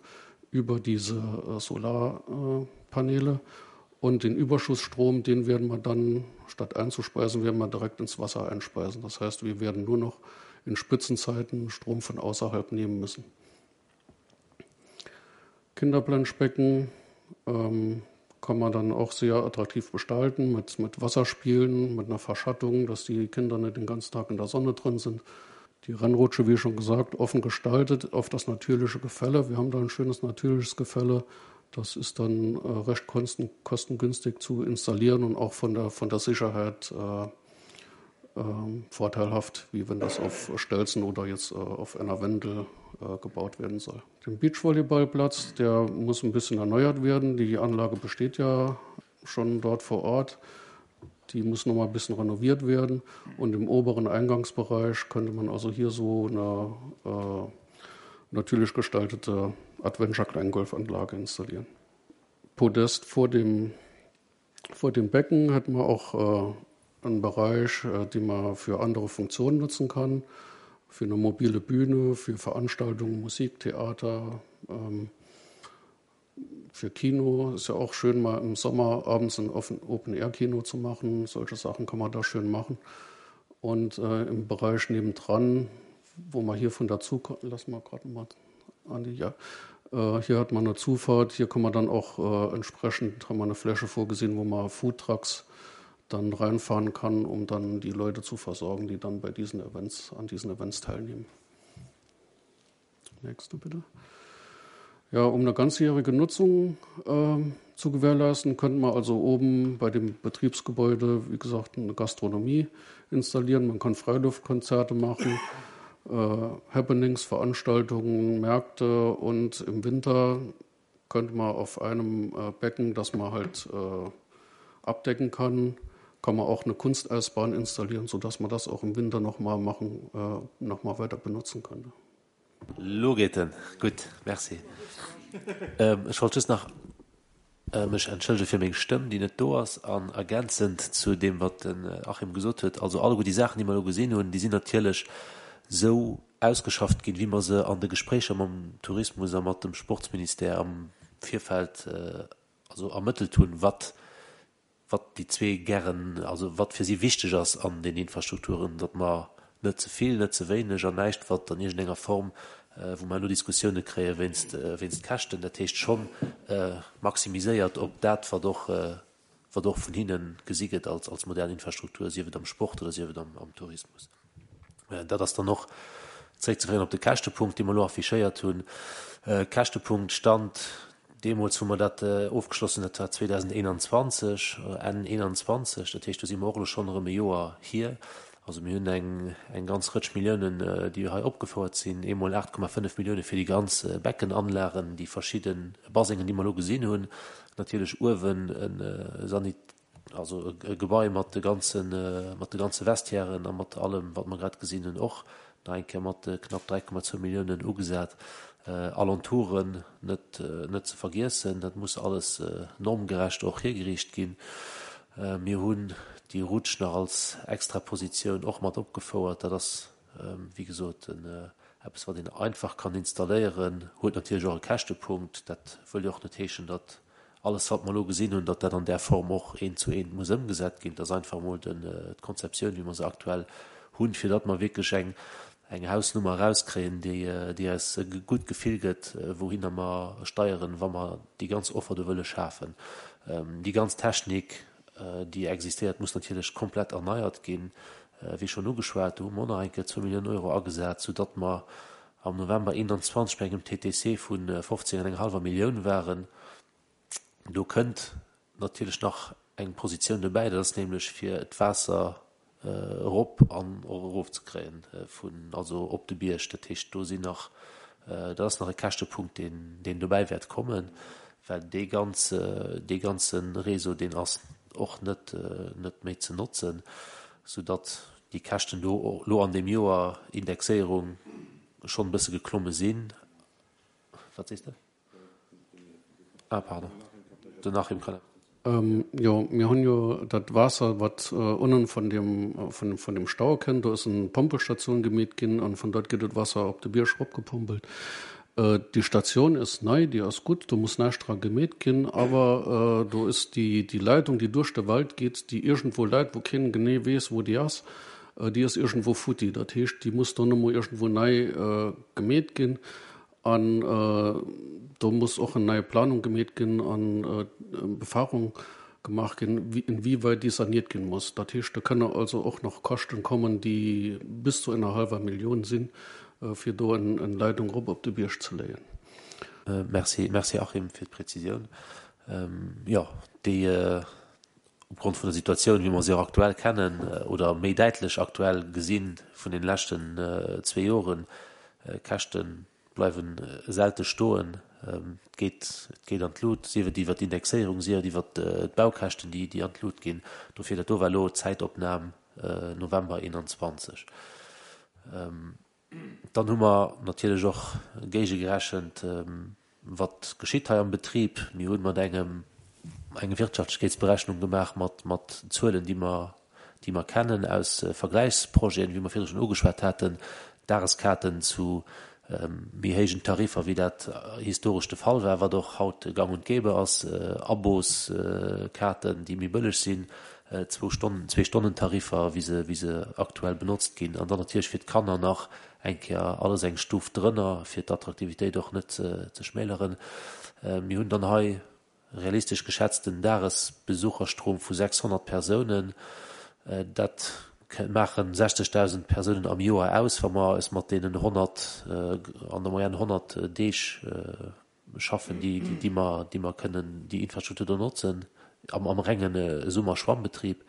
Speaker 3: über diese äh, Solarpaneele. Und den Überschussstrom, den werden wir dann, statt einzuspeisen, werden wir direkt ins Wasser einspeisen. Das heißt, wir werden nur noch in Spitzenzeiten Strom von außerhalb nehmen müssen. Kinderplanschbecken ähm, kann man dann auch sehr attraktiv gestalten mit, mit Wasserspielen, mit einer Verschattung, dass die Kinder nicht den ganzen Tag in der Sonne drin sind. Die Rennrutsche, wie schon gesagt, offen gestaltet auf das natürliche Gefälle. Wir haben da ein schönes natürliches Gefälle. Das ist dann äh, recht kosten, kostengünstig zu installieren und auch von der, von der Sicherheit äh, äh, vorteilhaft, wie wenn das auf Stelzen oder jetzt äh, auf einer Wendel äh, gebaut werden soll. Den Beachvolleyballplatz, der muss ein bisschen erneuert werden. Die Anlage besteht ja schon dort vor Ort. Die muss noch mal ein bisschen renoviert werden. Und im oberen Eingangsbereich könnte man also hier so eine äh, natürlich gestaltete Adventure-Kleingolfanlage installieren. Podest vor dem, vor dem Becken hätten wir auch äh, einen Bereich, äh, den man für andere Funktionen nutzen kann, für eine mobile Bühne, für Veranstaltungen, Musik, Theater, ähm, für Kino. Ist ja auch schön, mal im Sommer abends ein Open-Air-Kino zu machen. Solche Sachen kann man da schön machen. Und äh, im Bereich nebendran, wo man hier von dazu lass mal gerade mal an die, ja. Äh, hier hat man eine Zufahrt, hier kann man dann auch äh, entsprechend, haben wir eine Fläche vorgesehen, wo man Foodtrucks dann reinfahren kann, um dann die Leute zu versorgen, die dann bei diesen Events, an diesen Events teilnehmen. Nächste bitte. Ja, um eine ganzjährige Nutzung äh, zu gewährleisten, könnte man also oben bei dem Betriebsgebäude, wie gesagt, eine Gastronomie installieren. Man kann Freiluftkonzerte machen, äh, Happenings, Veranstaltungen, Märkte und im Winter könnte man auf einem äh, Becken, das man halt äh, abdecken kann, kann man auch eine Kunsteisbahn installieren, sodass man das auch im Winter noch mal machen, äh, noch mal weiter benutzen könnte.
Speaker 4: Lo geet en. Gutt, merci. Ech wollt just nach mech entschëllege fir meng Stëmm, déi net do ass. An ergänzend zu deem, wat den Achim gesot huet, also alleguer déi Saachen, déi mer elo gesinn hunn, déi sinn natierlech esou ausgeschafft ginn, wéi mer se an de Gespréicher mam Tourismus a mat dem Sportsministère am Virfeld also ermëttelt hunn, wat wat déi zwee gären, also wat fir si wichteg ass an den Infrastrukturen, datt mer net ze vill, net ze wéineg an näischt, wat an iergendenger Form, wou mer herno Diskussioune kréie wéinst, wéinst Käschten, dat heescht schonn maximiséiert op dat, wat och, wat och vun hinne gesi gëtt als, als modern Infrastruktur, sief et am Sport oder sief et am, am Tourismus. Dat ass dann och zréckzeféieren op de Käschtepunkt, dee mer elo affichéiert hunn. Käschtepunkt Stand deemools, wou mer dat ofgeschloss hunn, dat war 2021, Enn 21, dat heescht, do si mer och elo schonn erëm e Joer hier. Also mir hunn eng, eng ganz Rëtsch Milliounen, déi hei opgefouert sinn, eemol 8,5 Millioune fir déi ganz Beckenanlagen, déi verschidde Basengen, déi mer elo gesinn hunn, natierlech uewen e Sanit, Also e Gebai mat de ganze, mat de ganze Vestiairen a mat allem, wat mer grad gesinn hunn, och nach eng Kéier mat knapp 3,2 Milliounen ugesat. Alentouren net, net ze vergiessen, dat muss alles normgerecht och hiergeriicht ginn. Mir hunn déi Rutsch nach als Extrapositioun och mat opgefouert. Dat ass, wéi gesot, en. Eppes, wat een einfach kann installéieren, huet natierlech och e Käschtepunkt. Dat wëll jo och net heeschen, datt alles, wat mer elo gesinn hunn, datt dat an där Form och eent zu eent muss ëmgesat ginn. Et ass einfach emol d'Konzeptioun, wéi mer se aktuell hunn, fir datt mer wierklech eng eng Hausnummer erauskréien, déi déi eis e gutt Gefill gëtt, wouhinner mer steieren, wa mer déi ganz Offer do wëlle schafen. Déi ganz Technik, déi existéiert, muss natierlech komplett erneiert ginn. Wéi schonn ugeschwat, do hu mer och nach eng Kéier zwou Milliounen Euro agesat, soudatt mer am November 21 bei engem TTC vu 15 an enger hallwer Millioun waren. Do kënnt natierlech nach eng Positioun dobäi, dat ass nämlech fir d'Waasser erop an och erofzekréien vun, also op de Bierg. Dat heescht, do sinn nach, dat ass nach e Käschtepunkt, deen, deen dobäi wäert kommen, well dee ganze, dee ganze Réseau, deen ass och net, net méi ze notzen, soudatt déi Käschten do elo an deem Joer Indexéierung schonn e bësse geklomme sinn. Wat sees de? Ah, pardon. Den Achim kann.
Speaker 3: Jo, mir hunn jo dat Waasser, wat unnen vun dem, vun, vun dem Stau kënnt, do ass eng Pompelstation gemeet ginn an vun dort gëtt et Wasser op de Bierg eropgepompelt. Déi Station ass nei, déi ass gutt, do muss näischt dra gemeet ginn, awer do ass déi, déi Leitung, déi duerch de Wald geet, déi iergendwou läit, wou keen genee weess, wou déi ass, déi ass iergendwou futti. Dat heescht, déi muss dann emol iergendwou nei gemeet ginn. An do muss och eng nei Planung gemeet ginn an Befahrung gemaach ginn, inwieweit déi saniert ginn muss. Dat heescht, do kënne also och nach Käschten kommen, déi bis zu enger hallwer Millioun sinn, fir do eng Leitung erop op de Bierg ze léien.
Speaker 4: Merci, merci Achim fir d'Präzisioun. Jo, déi opgrond vun der Situatioun, wéi mer se och aktuell kennen oder méi däitlech aktuell gesi vun den leschten zwee Joren, Käschte bleiwe selte stoen, et geet, et geet an d'Lut, sief et iwwer d'Indexéierung, sief et iwwer d'Baukäschten, déi, déi an d'Lut ginn. Dofir, dat do war elo d'Zäitopnam November 21. Dann hu mer natierlech och géigegerechent, wat geschitt hei am Betrib. Mir hu mat engem eng Wirtschaftlechkeetsberechnung gemaach mat mat Zuelen, déi mer déi mer kennen aus Vergläichsprojeten, wéi mer virdru schonn ugeschwat haten, Dageskaarten zu méi héijen Tariffer, wéi dat historesch de Fall war, wat och haut gang und gäbe ass, Aboskaarten, déi méi bëlleg sinn, zwou Stonnen, Zwee-Stonnen-Tariffer, wéi se, wéi se aktuell benotzt ginn, an dann natierlech fir d'Kanner nach eng Kéier alles eng Stuf drënner, fir d'Attraktivitéit och net ze schmäleren. Mir hunn dann hei realistesch geschätzt en Dagesbesucherstrom vu 600 Persounen. Dat maache 60.000 Persounen am Joer aus, wa mer eis mat deenen 100, an der Moyenne 100 Deeg schaffen, déi, déi mer, déi mer kënnen déi Infrastruktur do notzen am, am renge Summer-Schwammbetrib.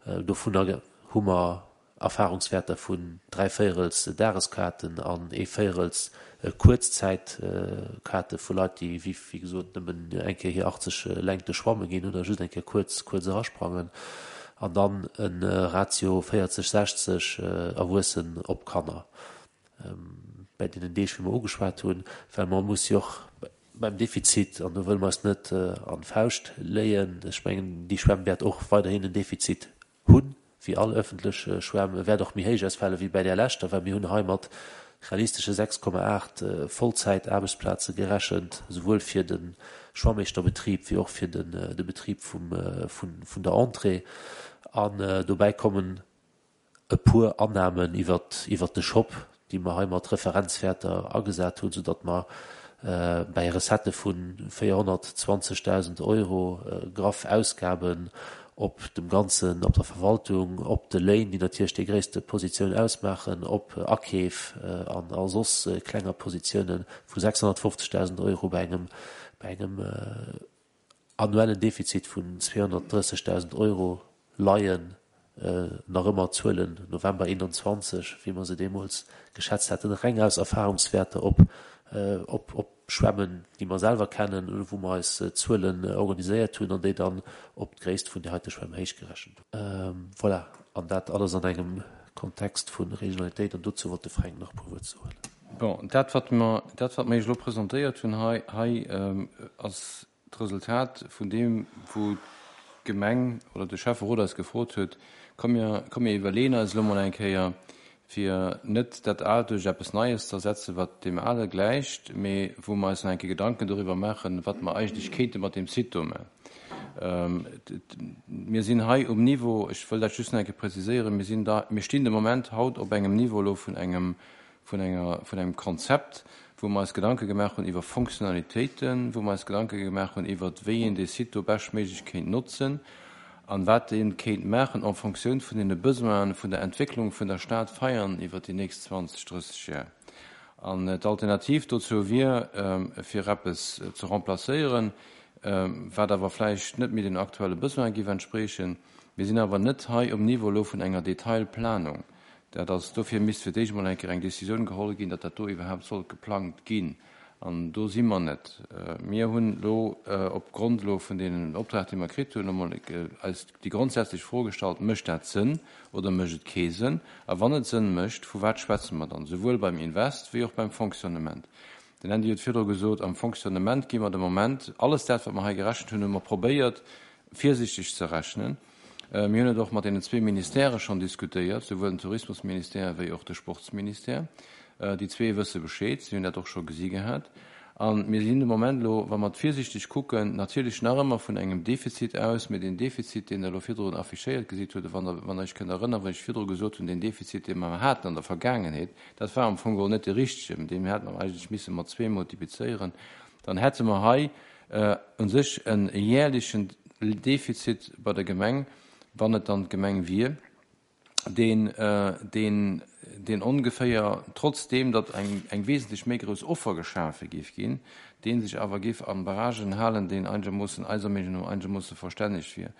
Speaker 4: Dovunner hu mer Erfahrungswäerter vun dräivéierels Dageskaarten an ee Véierels Kuerzzäitkaarte vu Leit, déi, wéi, wéi gesot, nëmmen eng Kéier hir 80 Längte schwamme ginn oder just eng Kéier kuerz, kuerz erasprangen. An dann e Ratio 40, 60 Erwuessen op Kanner. Bäi deenen Deeg, wéi mer ugeschwat hunn, well mer musse jo och beim Defizit, an do wëlle mer eis net an d'Fauscht léien, ech mengen, déi Schwämm wäert och weiderhin en Defizit hunn, wéi all öffentlech Schwämm, e wäert och méi héich ausfale wéi bäi där leschter, well mir hunn hei mat realistesche 6,8 Vollzäitaarbechtsplaze gerechent, souwuel fir de Schwammeeschterbetrib wéi och fir de Betrib vun der Entrée. An dobäi kommen e puer Annamen iwwert iwwert de Shop, déi mer hei mat Referenzwäerter agesat hunn, soudatt mer bäi Recettë vu 420.000 Euro graff Ausgaben op dem ganzen, op der Verwaltung, op de Léin, déi natierlech déi gréisste Positioun ausmaachen, op Akeef an a soss klenger Positiounen vu 650.000 Euro bei engem bei engem annuellen Defizit vun 230.000 Euro leien nach ëmmer d'Zuelen November 21, wéi mer se deemools geschätzt haten, reng aus Erfahrungswäerter op op Schwämmen, déi mer selwer kennen, wou mer eis Zuelen organiséiert hunn an déi dann op d'Gréisst vun där heite Schwämm héichgerechent hunn. Voilà, an dat alles an engem Kontext vu Regionalitéit. An dozou wollt de Fränk nach e puer Wuert soen.
Speaker 2: Bon, dat wat mer, dat wat mer Iech elo presentéiert hunn hei, hei ass d'Resultat vun deem wou d'Gemeng oder de Schäfferot eis gefrot huet, komm mir, komm mir iwwerleeën eis elo mol eng Kéier. fir net dat Aalt duerch eppes Neies ze ersetzen, wat deem Ale gläicht, mee wou mer eis nach eng Kéier Gedanken doriwwer maachen, wat mer eigentlech kéinte mat deem Site do maachen. Mir sinn hei um Niveau, ech wëll dat just nach eng Kéier preziséieren, mir sinn da, mir stinn de Moment haut op engem Niveau elo vun engem, vun enger, vun engem Konzept, wou mer eis Gedanke gemaach hunn iwwer Fonctionnalitéiten, wou mer eis Gedanke gemaach hunn iwwert, wéi een dee Site do beschtméiglech kéint notzen an wat ee kéint maachen en Fonctioun vun deene Besoinen vun der Entwécklung vun der Stad Veianen iwwert déi nächst 20, 30 Jar. An d'Alternativ dozou wier, fir eppes ze remplacéieren, wat awer vläicht net méi den aktuelle Besoine géif entspriechen. Mir sinn awer net hei um Niveau elo vun enger Detailplanung. Dat ass, dofir misst fir d'éischt emol eng Kéier eng Décisioun geholl ginn, datt dat do iwwerhaapt sollt geplangt ginn. An do si mer net. Mir hunn elo opgrond elo vun deenen Optrag, dee mer kritt hunn, emol eis déi grondsätzlech Fro gestallt, Mécht dat Sënn oder mécht et kee Sënn? A wann et Sënn mécht, vu wat schwätze mer dann, souwuel beim Invest wéi och beim Fonctionnement? Den Andy huet virdru gesot, am Fonctionnement gi mer de Moment, alles dat, wat mer hei gerechent hunn, hu mer probéiert, virsichteg ze rechnen. Mir hunn et och mat deenen zwee Ministèrë schonn diskutéiert, souwuel den Tourismusministère wéi och de Sportsministère. Déi zwee wësse Bescheed, si hunn dat och scho gesi gehat. A mir sinn de Moment elo, wa mer et virsiichteg kucken, natierlech nach ëmmer vun engem Defizit aus, mee deen Defizit, deen Der elo virdrun affichéiert gesitt hutt, wann Der, wann Der Iech kënnt erënnern, wou ech virdru gesot hunn, deen Defizit, dee mer haten an der Vergaangenheet, dat war am Fong geholl net dee richtegen, deen hätte mer eigentlech misse mat zwee multiplizéieren, dann hätte mer hei u sech e jährlechen Defizit bei der Gemeng, wann et dann d'Gemeng wier, deen, deen, deen ongeféier, trotzdeem datt eng, eng wesentlech méi grouss Offer geschafe géif ginn, dee sech awer géif a Barragen halen, deen einegermoossen, eiser Meenung no, einegermoosse verstänneg wier.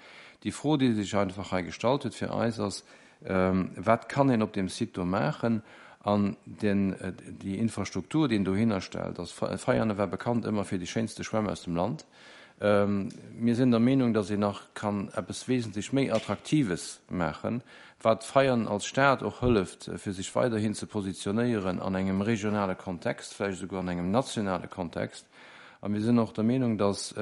Speaker 2: Déi Fro, déi sech einfach hei gestallt huet fir eis, ass, Wat kann een op deem Site do maachen? An den, déi Infrastruktur, déi een dohinner stellt, ass, Veianen war bekannt ëmmer fir déi schéinste Schwämm aus dem Land. Mir sinn der Meenung, datt een nach kann eppes wesentlech méi Attraktives maachen, wat Veianen als Stad och hëlleft, fir sech weiderhin ze positionéieren an engem regionale Kontext, vläicht esouguer an engem nationale Kontext. A mir sinn och der Meenung, datt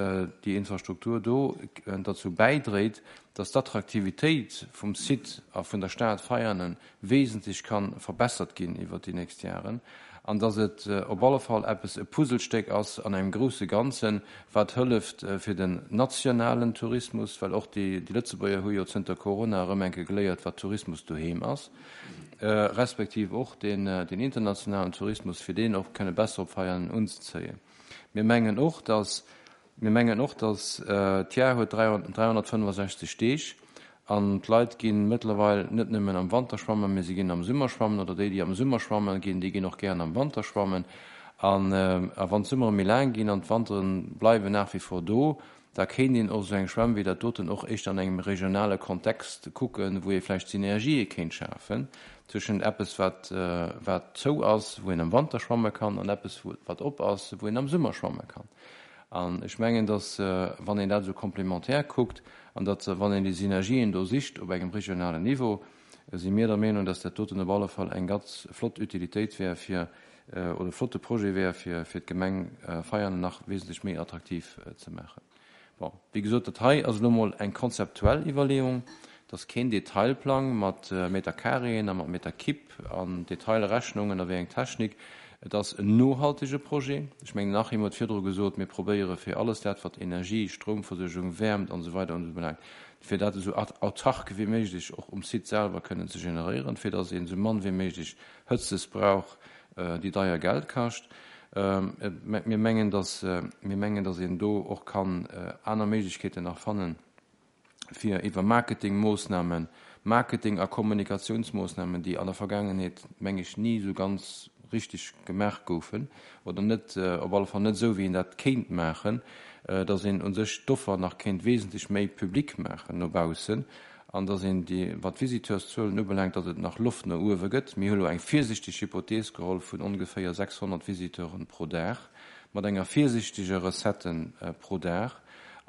Speaker 2: déi Infrastruktur do derzou bäidréit, datt d'Attraktivitéit vum Site a vun der Stad Veianen wesentlech ka verbessert ginn iwwert déi nächst Jaren an datt et op alle Fall eppes, e Puzzlestéck ass an engem grousse Ganzen, wat hëlleft fir den nationalen Tourismus, well och déi Lëtzebuerger hu jo zënter Corona erëm eng Kéier geléiert, wat Tourismus doheem ass, respektiv och den internationalen Tourismus, fir deen och kënne besser op Veianen unzezéien. Mir mengen och, datt Mir mengen och, dass d'Jar huet 365 Deeg an d'Leit gi mëttlerweil net nëmmen am Wanter schwammen, mee se ginn am Summer schwammen oder déi, déi am Summer schwammen ginn, déi ginn och gären am Wanter schwammen. An wann d'Summere méi laang ginn an d'Wantere bleiwen nach wie vor do, da kéint een och esou eng Schwämm wéi dat doten och éischter an engem regionale Kontext kucken, wou ee vläicht Synergië kéint schafen tëschent eppes, wat wat zou ass, wou een am Wanter schwamme kann, an eppes, wat op ass, wou een am Summer schwamme kann. An ech mengen, datt, wann een dat esou complémentaire kuckt an datt, wann een déi Synergien do sicht op engem regionalen Niveau, si mir der Meenung, datt dat doten op alle Fall eng ganz flott Utilitéit wär fir, oder e flotte Projet wär, fir, fir d'Gemeng Veianen nach wesentlech méi attraktiv ze maachen. Bon, wéi gesot, dat hei ass elo emol eng konzeptuell Iwwerleeung. Et ass keen Detailplang mat Meterkareeën a mat Meterkibb an Detailrechnungen a wéi eng Technik. Et ass en nohaltege Projet. Ech mengen, den Achim huet virdru gesot, mir probéiere fir alles dat, wat Energie, Stroumversuergung, Wäermt an esou weider ubelaangt, fir dat esou autark wéi méiglech och um Site selwer kënnen ze generéieren, fir datt een esou mann wéi méiglech Hëtzes brauch, déi deier Geld kascht. Mir mengen, datt, mir mengen, datt een do och kann aner Méiglechkeeten nach fannen, fir iwwer Marketingmoossnamen, Marketing a Kommunikationsmoossnamen, déi an der Vergaangenheet, meng ech, ni esou ganz richtig gemaach goufen oder net, op alle Fall net esou, wéi een dat kéint maachen, datt een u sech d'Offer nach kéint wesentlech méi public maachen no baussen an datt een déi, wat d'Visiteurszuelen ubelaangt, datt et nach Loft no uewe gëtt. Mir hu lo eng virsichteg Hypothees geholl vun ongeféier 600 Visiteuren pro Dag, mat enger virsiichteger Recette pro Dag.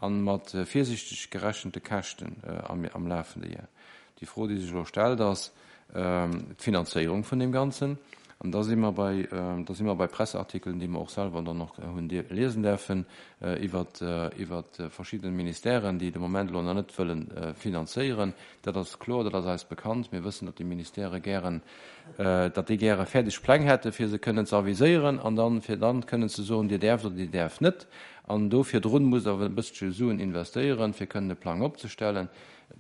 Speaker 2: A mat virsiichteg gerechente Käschten am lafende Jar. Déi Fro, déi sech elo stellt, ass d'Finanzéierung vun deem Ganzen. An da si mer bei, da si mer bei Presseartikelen, déi mer och selwer dann och hunn liesen däerfen, iwwer, iwwer verschidde Ministèren, déi de Moment elo nach net wëlle finanzéieren. Dat ass kloer, dat ass eis bekannt. Mir wëssen, datt déi Ministèrë gären, datt déi gäre fäerdeg Pläng hätte fir se kënnen ze aviséieren an dann, fir dann kënnen ze soen, Dir däerft oder Dir däerft net. An do virdrun musst Der awer e bësselche Suen investéieren, fir kënnen e Plang opzestellen.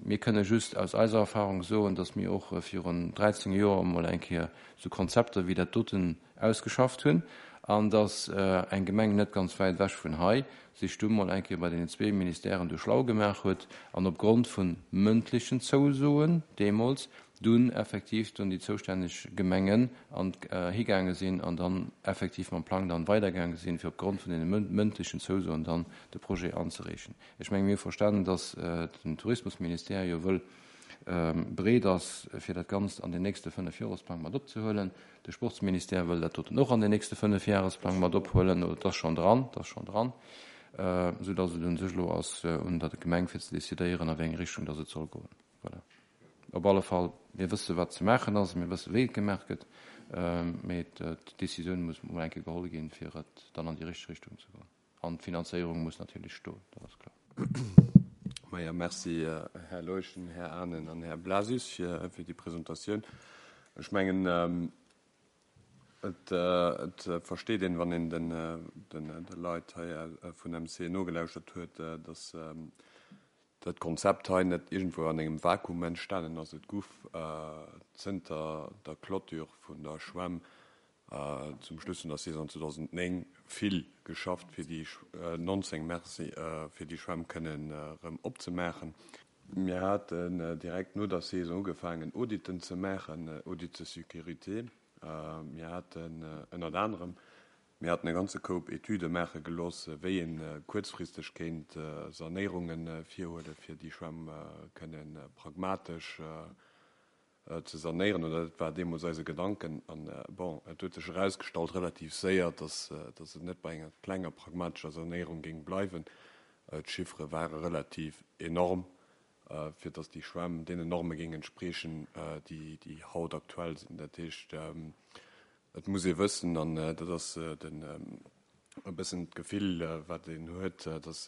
Speaker 2: Mir kënne just aus eiser Erfahrung soen, datt mir och virun 13 Joer emol eng Kéier esou Konzepter wéi dat doten ausgeschafft hunn an datt eng Gemeng net ganz wäit ewech vun hei sech du mol eng Kéier bei deenen zwee Ministèren du schlau gemaach huet an opgrond vu mëndlechen Zousoen deemools dunn effektiv dunn déi zoustänneg Gemengen an higaange sinn an dann effektiv mam Plang dann weidergaange sinn, fir opgrond vun deene mëndlechen Zousoen dann de Projet anzereechen. Ech menge mir hu verstanen, datt den Tourismusministère jo wëll bereet ass, fir dat Ganzt an den nächste Fënnefjoresplang mat opzehuelen. De Sportsministère wëll dat doten och an den nächste Fënnefjahresplang mat ophuelen, oder et ass schonn dran, et ass schonn dran, esou datt et un sech elo ass un der Gemeng fir ze decidéieren, a wéi eng Richtung datt et soll goen. Voilà. Op alle Fall, mir wësse wat ze maachen ass, mir wësse wéi et gemaach gëtt, mee d'Decisioun muss emol eng Kéier geholl ginn, fir et dann an déi richteg Richtung ze goen. An d'Finanzéierung muss natierlech stoen, dat ass kloer.
Speaker 1: Maja, merci, Här Leuschen, Här Anen an Här Blasius, fir déi Presentatioun. Ech mengen, et versteet een, wann een de Leit hei vun MC nogelauschtert huet, dass dat Konzept hei net iergendwou an engem Vakuum entstanen ass. Et gouf zënter der Clôture vun der Schwämm zum Schluss vun der Saison 2009 vill geschafft, fir déi 19, merci, fir déi Schwämm kënnen erëm opzemaachen. Mir haten direkt no der Saison ugefaangen Auditen ze maachen, Audits de sécurité. Mir haten ënnert anerem, mir haten e ganze Koup Etüde maache gelooss, wéi ee kuerzfristeg kéint Sanéierunge virhuelen, fir déi Schwämm kënne pragmatesch ze sanéieren, oder dat war deemools eise Gedanken. An, bon, et huet sech erausgestallt relativ séier, dass, dass et net bei enger klenger pragmatescher Sanéierung géing bleiwen. D'Chiffere ware relativ enorm, fir dass déi Schwämm deenen Norme géing entspriechen, déi, déi haut aktuell sinn. Dat heescht, et muss ee wëssen, an dat ass den, e bëssen d'Gefill, wat een huet, dass,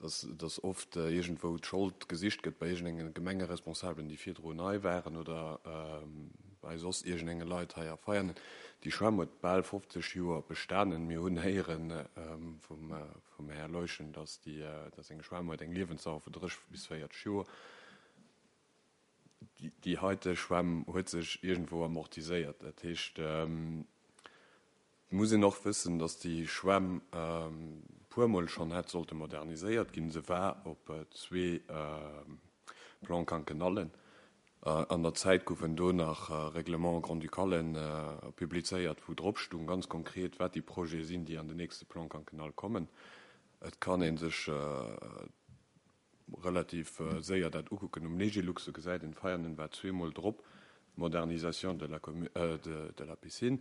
Speaker 1: dass dass oft iergendwou d'Schold gesicht gëtt bei iergendenge Gemengeresponsabelen, déi virdrun hei waren oder bei soss iergendenge Leit hei a Veianen. Déi Schwämm huet bal 50 Joer bestanen. Mir hunn héiere vum vum Här Leuschen, dass déi dass eng Schwämm huet eng Liewensdauer vu 30 bis 40 Joer. Déi heite Schwämm huet sech iergendwou amortiséiert. Dat heescht, Et muss een och wëssen, datt déi Schwämm e puermol schonn hätt sollte moderniséiert ginn. Se war op zwee Plan-quinquennallen. An der Zäit goufen do nach Règlements grand-ducalen publizéiert, wou drop stung ganz konkret, wat déi Projete sinn, déi an den nächste Plan quinquennal kommen. Et kann ee sech relativ séier dat ukucken um Legilux, do gesäit een, Veianen war zweemol drop, Modernisation de la de la piscine.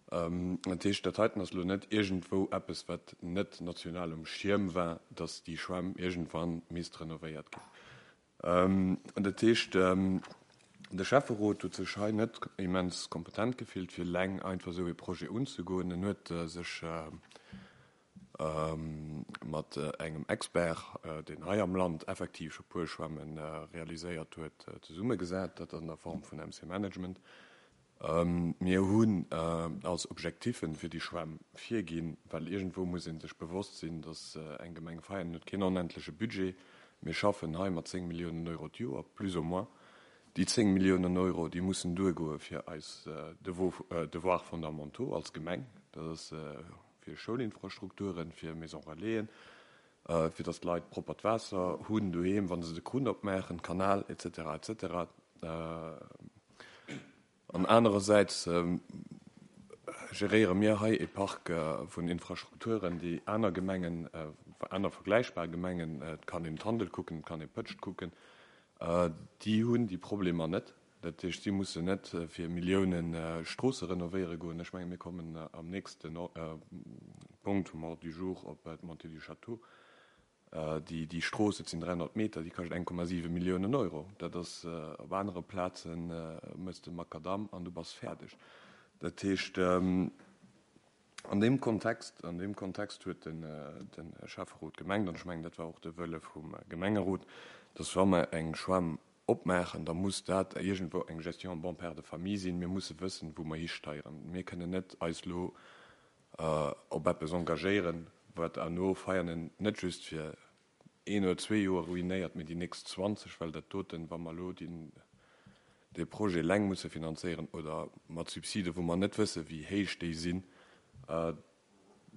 Speaker 1: Dat heescht, dat heiten ass elo net iergendwou eppes, wat net national um Schierm war, datt déi Schwämm iergendwann misst renovéiert ginn. Dat heescht, de Schäfferot huet sech hei net immens kompetent gefillt, fir eleng einfach esou ee Projet unzegoen. En huet sech mat engem Expert, deen hei am Land effektiv scho puer Schwämme realiséiert huet, zesummegesat, dat an der Form vun MC Management. Mir hunn als Objectiffen fir déi Schwämm virginn, well iergendwou muss ee sech bewosst sinn, datt eng Gemeng Veianen huet keen onendleche Budget. Mir schaffen hei mat 10 Milliounen Euro d'Joer, plus ou moins. Déi 10 Milliounen Euro, déi mussen duergoe fir eis Devoirs fondamentaux als Gemeng. Dat ass fir Schoulinfrastrukturen, fir Maisons relaisen, fir datt d'Leit proppert Waasser hunn doheem, wa se de Krunn opmaachen, Kanal, et cetera, et cetera. An anerersäits geréiere mir hei e Park vun Infrastrukturen, déi aner Gemengen, aner vergläichbar Gemengen, et kann een Tandel kucken, et kann ee Pëtscht kucken, déi hunn déi Problemer net. Dat heescht, si mussen net fir Millioune Stroosse renovéiere goen. Ech menge mir kommen am nächste Punkt vum Ordre du jour op d'Montée du Château. Déi Strooss, dat sinn 300 Meter, déi kascht 1,7 Milliounen Euro. Dat ass, op anere Plaze mëss de Makadamm an du bass fäerdeg. Dat heescht, an deem Kontext, an deem Kontext huet de Schäfferot gemengt, an ech mengen, dat war och de Wëlle vum Gemengerot, dass wa mer eng Schwämm opmaachen, da muss dat iergendwou eng Gestion en bon père de famille sinn. Mir musse wëssen, wou mer histeieren. Mir kënnen net eis elo op eppes engagéieren, wat herno Veianen net just fir een oder zwee Joer ruinéiert, mee déi nächst 20, well dat doten, wa mer elo dee Projet eleng musse finanzéieren oder mat Subsiden, wou mer net wëssen, wéi héich déi sinn,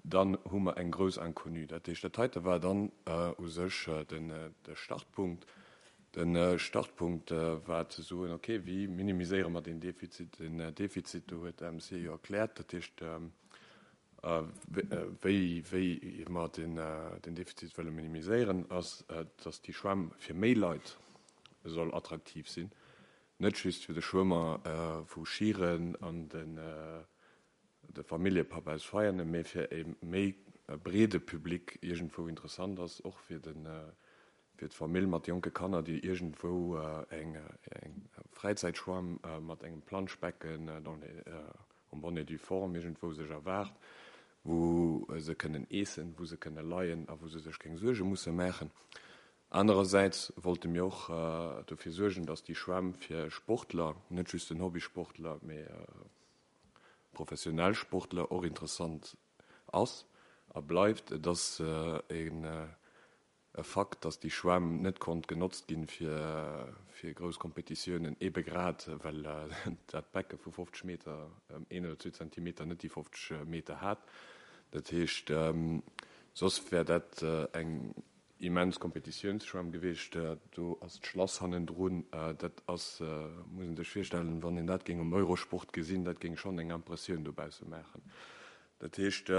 Speaker 1: dann hu mer eng grouss Inconnue. Dat heescht, dat heite war dann u sech de Startpunkt. De Startpunkt war ze soen, okay, wéi minimiséiere mer deen Defizit? Den Defizit, do huet de MC jo erkläert, dat heescht, wéi wéi mer den Defizit wëlle minimiséieren, ass, datt déi Schwämm fir méi Leit soll attraktiv sinn, net just fir de Schwëmmer vu Schieren an de Familljepapp aus Veianen, mee fir e méi breede Public iergendwou interessant ass, och fir de fir d'Famill mat jonke Kanner, déi iergendwou eng Fräizäitschwamm mat engem Planschbecken dans les en bonne et due forme iergendwou sech erwaart, wou se kënnen eessen, wou se kënne leien a wou se sech keng Suerge musse maachen. Anerersäits wollte mir och dofir suergen, dass déi Schwämm fir Sportler, net just den Hobbysportler, mee professionell Sportler och interessant ass a bleift. Et ass e Fakt, datt déi Schwämm net konnt genotzt ginn fir grouss Kompetitiounen, ebe grad well dat Becke vu 50 Meter ëm een oder zwee Zentimeter net déi 50 Meter hat. Dat heescht, soss wär dat eng immens Kompetitiounsschwämm gewiescht. Do ass d'Schlass hannendrun. Dat ass, muss een sech virstellen, wann een dat géing um Eurosport gesinn, dat géing schonn eng Impressioun dobausse maachen. Dat heescht,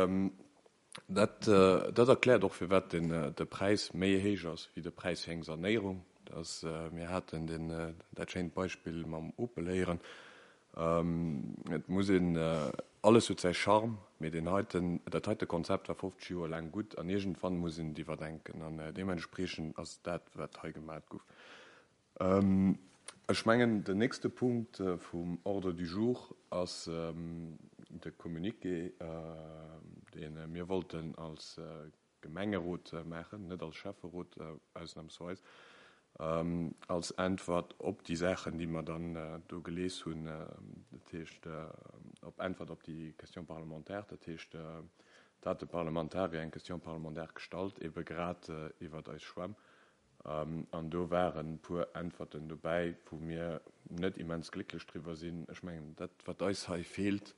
Speaker 1: dat, dat erkläert och, firwat den, de Präis méi héich ass wéi de Präis fir eng Sanéierung. Dat ass, mir haten den, dat schéint Beispill mam Opel héieren. Et muss een, alles huet säi Charme, mee deen heiten, dat heite Konzept war 50 Joer laang gutt an iergendwann muss een et iwwerdenken an deementspriechend ass dat, wat hei gemat gouf. Ech mengen, den nächste Punkt vum Ordre du jour ass de Communiqué, dee mir wollten als Gemengerot maachen, net als Schäfferot ausnahmsweis, als Äntwert op déi Saachen, déi mer dann do gelies hunn, dat heescht op Äntwert op déi Question parlementaire, dat heescht, da hat de Parlamentarier eng Question parlementaire gestallt, ebe grad iwwert eis Schwämm, an do waren e puer Äntwerten dobäi, wou mir net immens glécklech driwwer sinn. Ech mengen, dat, wat eis hei feelt,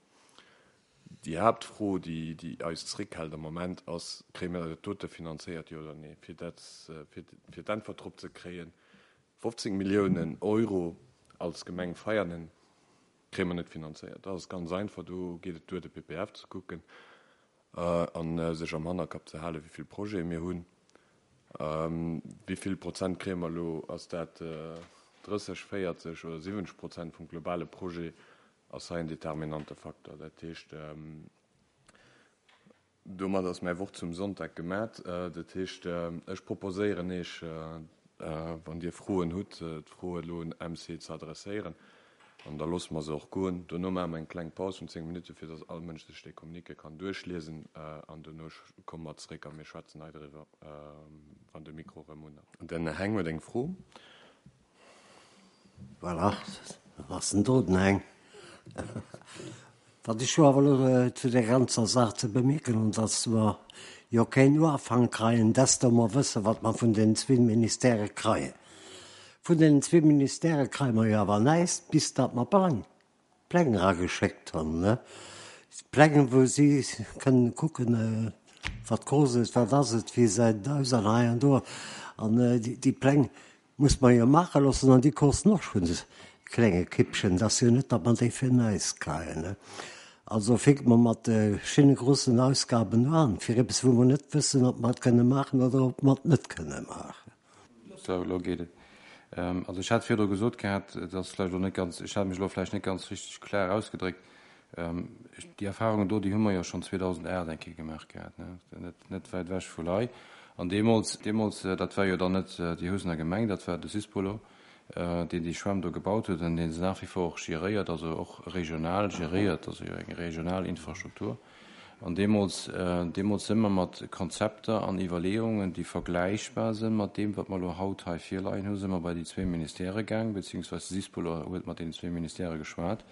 Speaker 1: Déi Haaptfro, déi eis zréckhält am Moment, ass, Kréie mir dat dote finanzéiert, jo oder nee? Fir dat, fir d'Äntwert drop ze kréien, 15 Milliounen Euro als Gemeng Veianen kréie mer net finanzéiert. Dat ass ganz einfach, do geet et duer, de PPF ze kucken a sech am Hannerkapp ze halen, wéi vill Projete mir hunn. Wéi vill Prozent kréie mer elo? Ass dat 30, 40 oder 70 Prozent vum globale Projet? Ass hei en determinante Faktor. Dat heescht, domat ass mäi Wort zum Sonntag gemat. Dat heescht, ech proposéieren Iech, wann Dir Froen hutt, d'Fro elo un MC ze adresséieren. An da loosse mer se och goen. Dono maache mer eng kleng Paus vun 10 Minutten, fir datt all Mënsch sech dee Communiqué kann duerchliesen. An dono komme mer zréck a mir schwätzen hei driwwer, wann de Mikro erëm un ass. Den Heng huet eng Fro.
Speaker 5: Voilà, ass en do, den Heng. Wat ech jo awer elo zu där ganzer Saach ze bemierken hunn, dass mer jo keen Uafank kreien, desto mer wësse wat mer vun den zwee Ministèrë kreien. Vun deenen zwee Ministèrë kreie mer jo awer näischt, bis datt mer Pläng, Pläng erageschéckt hunn, ne? Pläng, wou si kënnen kucken, wat koscht et, wat ass et, wéi gesäit et aus an hei an do. An déi Pläng Muss mer jo maache loossen an déi kosten och schonn e klenge Kippchen. Et ass jo net, datt mer déi fir näischt kréien, ne? Also fänke mer mat de schéine groussen Ausgaben un, fir eppes, wou mer net wëssen, ob mer et kënne maachen oder ob mer et net kënne maachen.
Speaker 2: Sou, elo geet et. Also ech hat virdru gesot gehat, et ass vläicht elo net ganz, ech hat mech elo vläicht net ganz richteg klar ausgedréckt, Déi Erfahrungen do, déi hu mer jo schonn 2008 eng Kéier gemaach gehat, ne, net, net wäit ewech vu lei. An deemools, deemools, dat war jo dann net déi Housener Gemeng, dat war de Sispolo, deen déi Schwämm do gebaut huet an dee se nach wie vor och géréiert, also och regional géréiert, also jo eng regional Infrastruktur. An deemools, deemools si mer mat Konzepter an Iwwerleeungen, déi vergläichbar si mat deem, wat mer elo haut hei virleien hu, si mer bei déi zwee Ministèrë gaang, beziehungsweise de Sispolo huet mat deenen zwee Ministèrë geschwat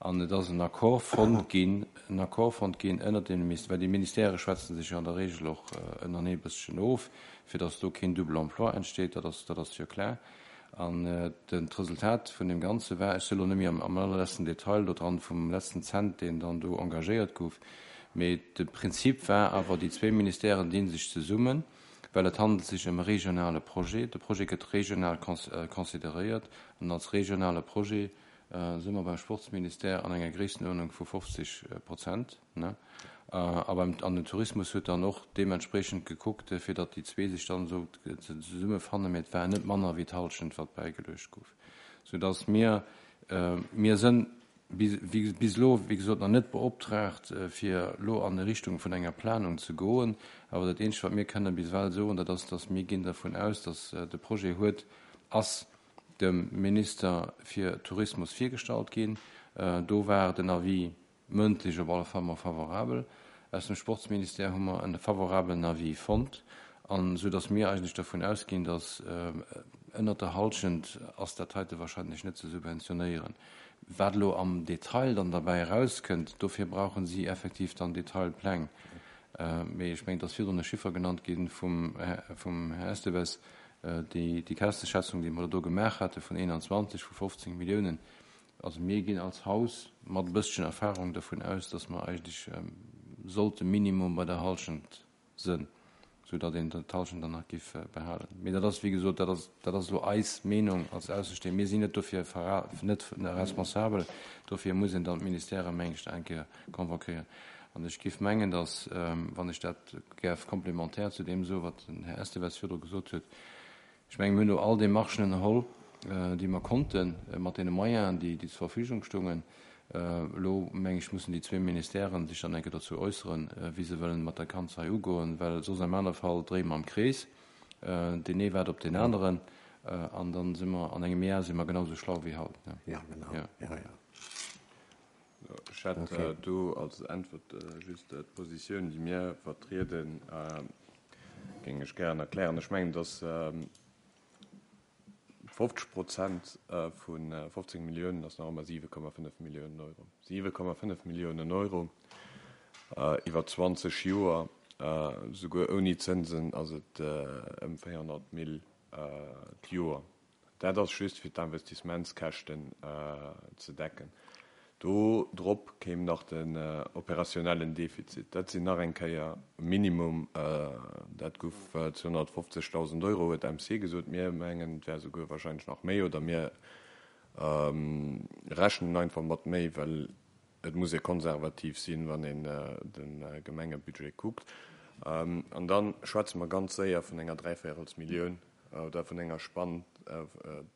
Speaker 2: an et ass en Accord fonnt ginn, en Accord fonnt ginn ënnert deene Ministèrë, well déi Ministèrë schwätze sech jo an der Regel och ënnerenee e bësschen of, fir datt do keen Double emploi entsteet, dat ass, dat ass jo klar. An den, d'Resultat vun deem Ganze war, ech si elo net méi am, am allerletzten Detail do dran vum letzten Cent, deen dann do engagéiert gouf, mee de Prinzip war awer, déi zwéi Ministèren di sech zesummen, well et handelt sech ëm e regionale Projet, de Projet gëtt regional consideréiert an als regionale Projet si mer beim Sportsministère an enger Gréisstenuerdnung vu 50 Prozent. A beim, an den Tourismus huet dann och deementspreechend gekuckt, fir datt déi zwee sech dann esou zesummefannen, mee et war net manner wéi d'Hallschent, wat bäigeluecht gouf, soudatt mir, mir sënn bis elo, wéi gesot, nach net beoptraagt, fir elo an Richtung vun enger Planung ze goen. Awer dat Eenzegt, wat mir kënnen bis ewell soen, dat ass, datt mir ginn dervun aus, datt de Projet huet, ass dem Minister fir Tourismus virgestallt ginn. Do war den Avis mëndlech op alle Fall mol favorabel. Aus dem Sportsministère hu mer e favorabelen Avis fonnt, an esou datt mir eigentlech dervun ausginn, datt ënnert der Halschent ass dat heite wahrscheinlech net ze subventionéieren. Wat elo am Detail dann derbäi erauskënnt, dofir brauche si effektiv dann Detailpläng. Mee ech mengen, et ass virdrun e Chiffer genannt gi vum Här Esteves, déi Käschteschätzung, déi mer do gemaach hate vun 21, vu 15 Milliounen, Also mir ginn als Haus mat e bësschen Erfahrung dervun aus, dass mer eigentlech sollte minimum bei der Halschent sënn, sou datt een d'Halschent dann nach giff behalen. Mee dat ass, wéi gesot, dat ass, dat ass elo eis Meenung als Aussestehend. Mir sinn net dofir net responsabel. Dofir muss een dann d'Ministèrë meng ech eng Kéier convoquéieren. An ech giff mengen, dass, wann ech dat gäerf komplementär zu deem soen, wat den Här Esteves virdru gesot huet, Ech mengen, mir hunn do all Démarchen ënnerholl, déi mer konnten, mat deene Moyenen, déi zur Verfügung stungen. Elo, meng ech, mussen déi zwee Ministèren sech dann eng Kéier dozou äusseren, wéi se wëllen mat der Kanzlei ugoen, well soss am anere Fall dréie mer am Krees, deen ee waart op deen aneren, an dann si mer an engem Jar si mer genau esou schlau wéi haut.
Speaker 5: Jo, genau. Jo, jo.
Speaker 1: Ech hätt do als Äntwert just d'Positioun, déi mir vertrieden, géing ech gären erklären. Ech mengen, datt 50 Prozent vu 15 Milliounen ass nach ëmmer 7,5 Milliounen Euro. 7,5 Milliounen Euro iwwer 20 Joer, souguer ouni Zënsen ass et ëm 400 Mille d'Joer. Dat ass just fir d'Investissementskäschten ze decken. Do drop kéim nach den operationellen Defizit. Dat sinn nach eng Kéier minimum, dat gouf 250.000 Euro, huet MC gesot. Mir mengen, et wär souguer wahrscheinlech nach méi, oder mir rechnen einfach mat méi, well Et muss ee konservativ sinn, wann een de Gemengebudget kuckt. An da schwätze mer ganz séier vun enger Dräivéierelsmillioun oder vun enger Spann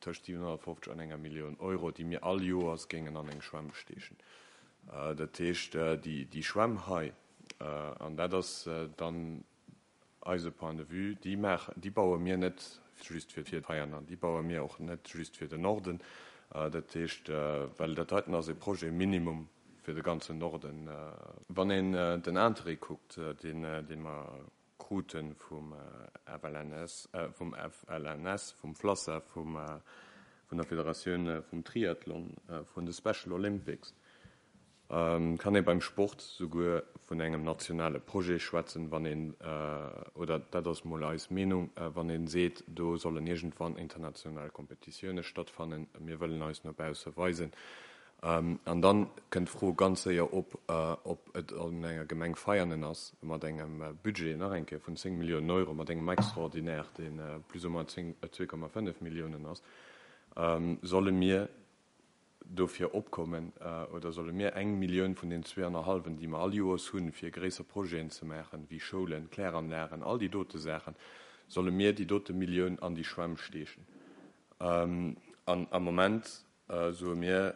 Speaker 1: tëscht 750 an enger Millioun Euro, déi mir all Joers géingen an eng Schwämm steechen. Dat heescht, déi Schwämm hei, an dat ass dann Eise Point de vue, déi maachen, déi baue mir net just fir d'Veianer, déi baue mir och net just fir den Norden. Dat heescht, well dat heiten ass e Projet minimum fir de ganzen Norden. Wann een den Interêt kuckt, deen, dee mer krute vum FLNS, vum FLNS, vum FLASSA, vum, vun der Federatioun vum Triathlon, vun de Special Olympics, Kann ee beim Sport souguer vun engem nationale Projet schwätzen, wann een, oder dat ass mol eis Meenung, wann ee seet, do sollen iergendwann international Kompetitioune stattfannen, mir wëllen eis no bausse weisen. An dann kënnt d'Fro ganz séier op, ob et an enger Gemeng Veianen ass, mat engem Budget, nach eng Kéier, vun 10 Milliounen Euro, mat engem Extraordinaire, dee plus ou moins 2,5 Milliounen ass, solle mir dofir opkommen oder solle mir eng Millioun vun den zweeannerhallwen, déi mer all Joers hunn, fir gréisser Projeten ze maachen, wéi Schoulen, Kläranlagen, all déi dote Saachen, solle mir déi dote Millioun an déi Schwämm steechen? An am Moment soe mir,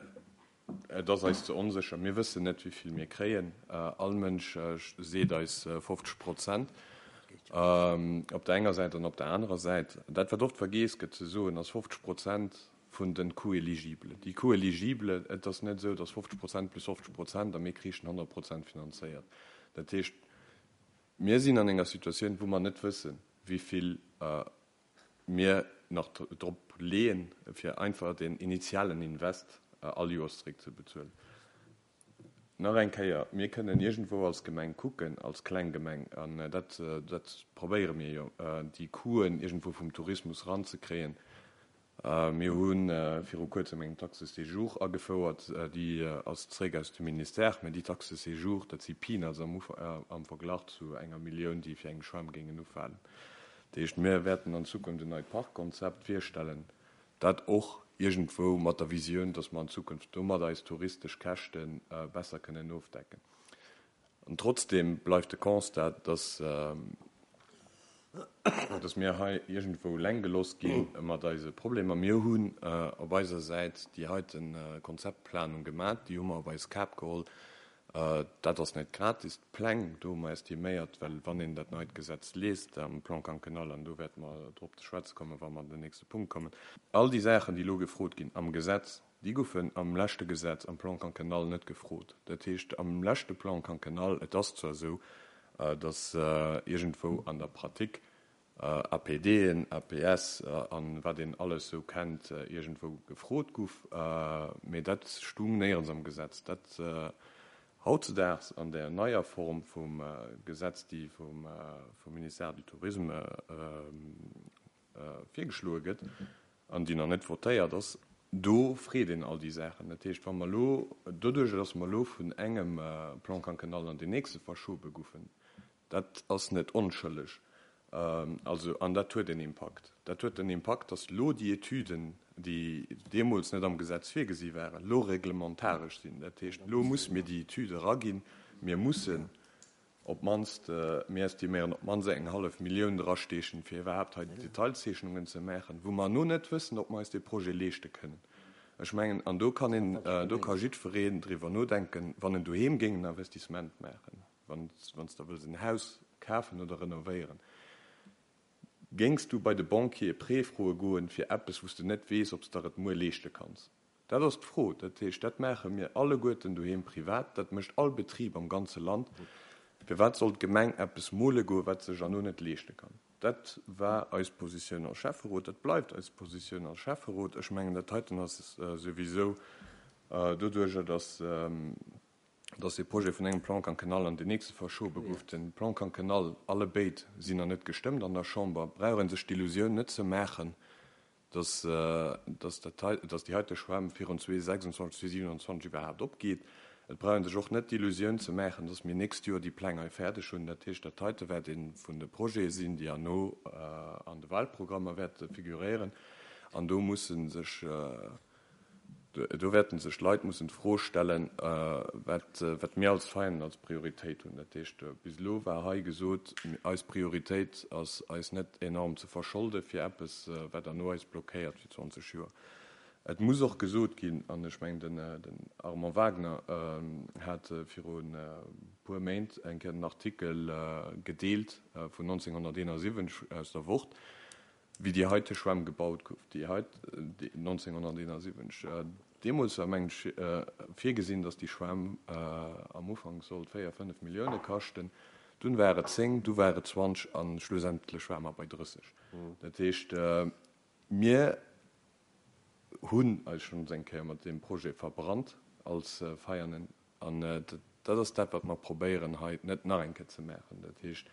Speaker 1: et ass eis ze onsécher, mir wëssen net, wéi vill mir kréien. All Mënsch seet eis 50 Prozent. Op der enger Säit an op der anerer Säit, dat wat oft vergeess gëtt ze soen, ass 50 Prozent vun de Coûts éligibles. Déi Coûts éligibles, et ass net esou, datt 50 Prozent plus 50 Prozent a mir kriichen 100 Prozent finanzéiert. Dat heescht, mir sinn an enger Situatioun, wou mer net wëssen, wéi vill mir nach drop leeën, fir einfach deen initialen Invest all Joers zeréckzebezuelen. Nach eng Kéier, mir kënnen iergendwou als Gemeng kucken, als kleng Gemeng, an dat, dat probéiere mir jo, déi Coûten iergendwou vum Tourismus eranzekréien. Mir hu viru Kuerzem eng Taxe de séjour agefouert, déi ass zeréck aus dem Ministère, mä déi Taxe de séjour, dat si Peanuts am, am Verglach zu enger Millioun, déi fir eng Schwämm géingen ufalen. Dat heescht, mir wäerten an Zukunft en neit Parkkonzept virstellen, Dat och iergendwou mat der Visioun, dass mer an Zukunft domat eis touristesch Käschte besser kënnen ofdecken. An trotzdeem bleift de Constat, dass, dass mir hei iergendwou eleng gelooss gi mat eise Problemer. Mir hunn op eiser Säit déi heite Konzeptplanung gemat, déi hu mer op eis Kap geholl. Dat ass net gratis. D'Pläng, do hu mer estiméiert, well wann een dat neit Gesetz liest am Plan quinquennal, an do wäerte mer drop ze schwätze kommen, wa mer an den nächste Punkt kommen, all déi Saachen, déi elo gefrot ginn am Gesetz, déi goufen am leschte Gesetz, am Plan quinquennal, net gefrot. Dat heescht, am leschte Plan quinquennal, et ass zwar esou, datt iergendwou an der Pratique APDen, APS an wat een alles sou kennt, iergendwou gefrot guff, mee dat stung néierens am Gesetz. Dat hautzedaags an där neier Form vum Gesetz, déi vum Ministère du Tourisme virgeschloe gëtt an déi nach net votéiert ass, do freet een all déi Saachen. Dat heescht, wa mer elo, doduerjer datt mer elo vun engem Plan quinquennal an deen nächste verschobe guffen, Dat ass net onschëlleg. Also, an dat huet en Impakt. Dat huet den Impakt, datt elo déi Etüden, déi deemools net am Gesetz virgesi waren, elo reglementaresch sinn. Dat heescht, elo musse mir déi Etüde eraginn. Mir mussen op d'mannst, mir estiméieren, op d'mannst eng hallef Millioun drasteechen, fir iwwerhaapt hei déi Detailzeechnungen ze maachen, wou mer elo net wëssen, ob mer eis dee Projet leeschte kënnen. Ech mengen, an do kann een, do ka jiddwereen driwwer nodenken, wann en doheem géing en Investissement maachen, Wann s de wëlls en Haus kafen oder renovéieren, géings du bei de Banquier e Prêt froe goen fir eppes, wou s de net weess, ob s der et muer leeschte kanns? Dat ass d'Fro. Dat heescht, dat maache mir alleguerten doheem privat, dat mécht all Betrib am ganze Land. Firwat soll d'Gemeng eppes mole goen, wat se sech herno net leeschte kann? Dat war eis Positioun als Schäfferot, dat bleift eis Positioun als Schäfferot. Ech mengen, dat heiten ass souwisou doduerjer, datt dass dee Projet vun engem Plan quinquennal an deen nächste verschobe gouf. Den Plan quinquennal, alle béid sinn nach net gestëmmt an der Chamber, brauch ee sech d'Illusioun net ze maachen, dass, dass dat hei, dass déi heite Schwämm virun 2026, 2027 iwwerhaapt opgeet. Et brauch ee sech och net d'Illusioun ze maachen, dass mir nächst Joer déi Pläng hei fäerdeg hunn. Dat heescht, dat heite wäert ee vun de Projete sinn, déi herno an de Wahlprogrammer wäerte figuréieren. An do musse sech Do wäerten sech d'Leit mussen d'Fro stellen, wat mir als Veräin als Prioritéit hunn. Dat heescht, bis elo war hei gesot, eis Prioritéit ass, eis net enorm ze verscholde fir eppes, wat herno eis blockéiert fir 20 Joer. Et muss och gesot ginn, an ech mengen, den Armand Wagner hat viru e puer Méint eng Kéier den Artikel gedeelt vun 1971 aus der Wort, Wéi déi heite Schwämm gebaut gouf, déi hei 1971, deemools war, mengen ech, virgesinn, datt déi Schwämm am Ufank sollt 4, 5 Millioune kaschten. Dunn war et 10, du war et 20 a schlussendlech ware mer bei 30. Dat heescht, mir hunn eis schonns eng Kéier mat deem Projet verbrannt als Veianen. An dat ass dat, wat mer probéieren hei net nach eng Kéier ze maachen. Dat heescht,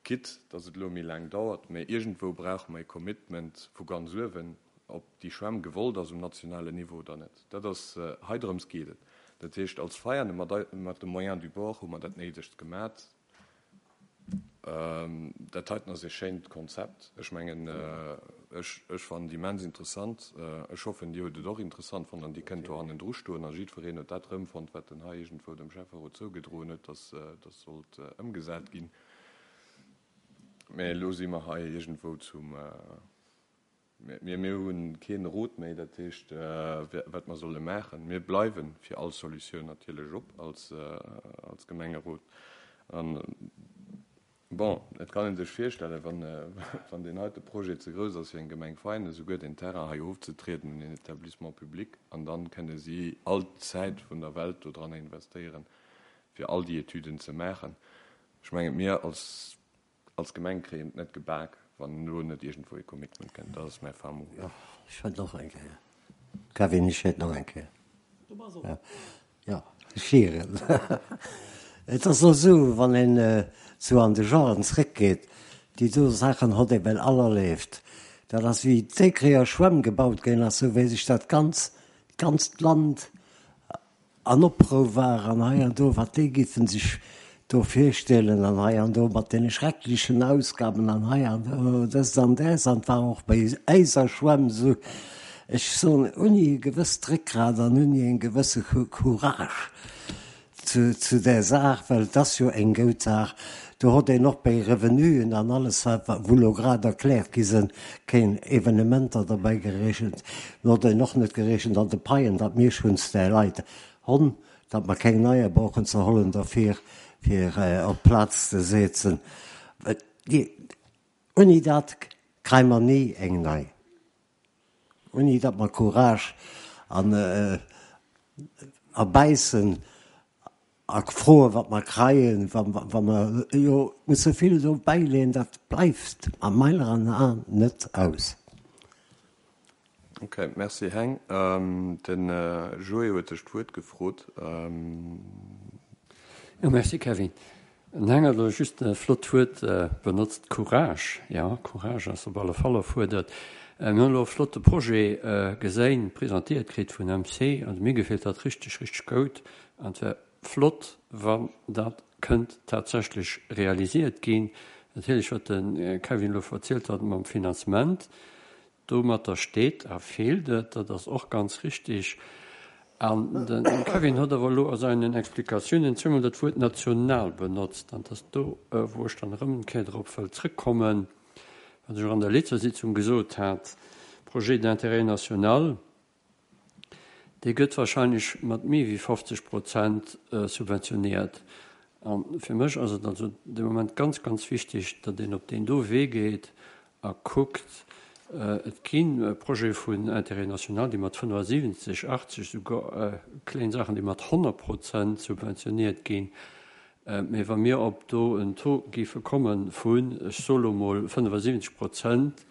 Speaker 1: Quitte dass et elo méi laang dauert, mä iergendwou brauche mer e Commitment vu ganz uewen, ob déi Schwämm gewollt ass um nationalen Niveau oder net. Dat ass, hei drëms geet et. Dat heescht, als Veiane mat, mat de Moyens du bord hu mer dat Néidegst gemat. Dat heiten ass e schéint Konzept. Ech mengen, ech, ech fannen et immens interessant. Ech hoffen, Dir hutt et och interessant fonnt an Dir kënnt do hannendru stoen a jiddwereen huet dat erëmfonnt, wat en hei iergendwou dem Schäfferot zougedroen huet, dass dat sollt ëmgesat ginn. Mä elo si mer hei iergendwou zum, mir, mir hu keen Rot méi, dat heescht, wat mer solle maachen. Mir bleiwe fir all Solutioun natierlech op als, als Gemengerot. Bon, et kann ee sech virstellen, wann, wann deen heite Projet ze grouss ass fir eng Gemeng Vein, esouguer deen Terrain hei ofzetrieden un een Établissement public, an dann kënne si all d'Zäit vun der Welt dodranner investéieren, fir all déi Etüden ze maachen. Ech mengen, mir als Als Gemeng kréien et net gebak, wann elo net iergendwou ee Commitment kënnt. Dat ass mäi fin mot.
Speaker 5: Jo, ech wëllt och eng Kéier. Kevin, ech wéilt nach eng Kéier. Jo, ech hieren. Et ass elo esou, wann een sou an de Joren zréckgeet, déi do Saachen hott ee well all erleeft. Dat ass wéi d'Écréer Schwämm gebaut ginn ass, sou wéi sech dat ganz, d'ganzt Land An Oprou war an hei an do, wat déi giffen sech do virstellen an hei an do mat deene schrecklechen Ausgaben an hei an do dëst an däs an et war och bei äiser Schwämm esou, ech soen, ouni e gewësst Réckgrat an ouni e gewësse Courage zu, zu där Saach, well et ass jo eng goud Saach, do hott een och bei Revenuen an alles wat, wou elo grad erkläert gi sënn, keen Evenementer derbäi gerechent, mir hott een och net gerechent an de Paien, datt mir schonns där Leit honn, datt mer keng neier brauchen ze hollen derfir, fir op d'Plaz ze setzen. Ouni dat kréie mer ni eng nei. Ouni datt mer Courage an erbäissen a froen, wat mer kreien, wa mer jo musse vill do bäileeën, dat bleift a meiner Aen net aus.
Speaker 1: Ok, merci Heng. De Joé huet sech d'Wuert gefrot.
Speaker 6: Jo, merci Kevin. Den Heng huet elo just e flott Wuert benotzt, Courage. Jo, Courage ass op alle Fall erfuerdert. Mir hunn elo e flotte Projet geséin, presentéiert kritt vun MC. Also mir gefält dat richteg, richteg goud. An et wär flott, wann dat kënnt tatsächlech realisiert ginn. Natierlech, wat de Kevin elo verzielt hat mam Finanzement, Domatter steet a feelt et, dat ass och ganz richtig. An de Kevin huet awer elo a seinen Explikatiounen zweemol dat Wuert national benotzt. An et ass do, wou ech dann erëm eng Kéier drop wëll zrëckkommen, wat ech och an der letzter Sitzung gesot hat, Projet d'intérêt national, Dee gëtt wahrscheinlech mat méi wéi 50 Prozent subventioniert. A fir mech ass et also de Moment ganz, ganz wichtig, datt een op deen do Wee geet a kuckt, et gi Projete vun Intérêt national, déi mat 75, 80, souguer kléin Saachen, déi mat 100 Prozent subventioniert ginn. Mee wa mir op do en Taux géife komme vun, ech soe lo mol 75 Prozent,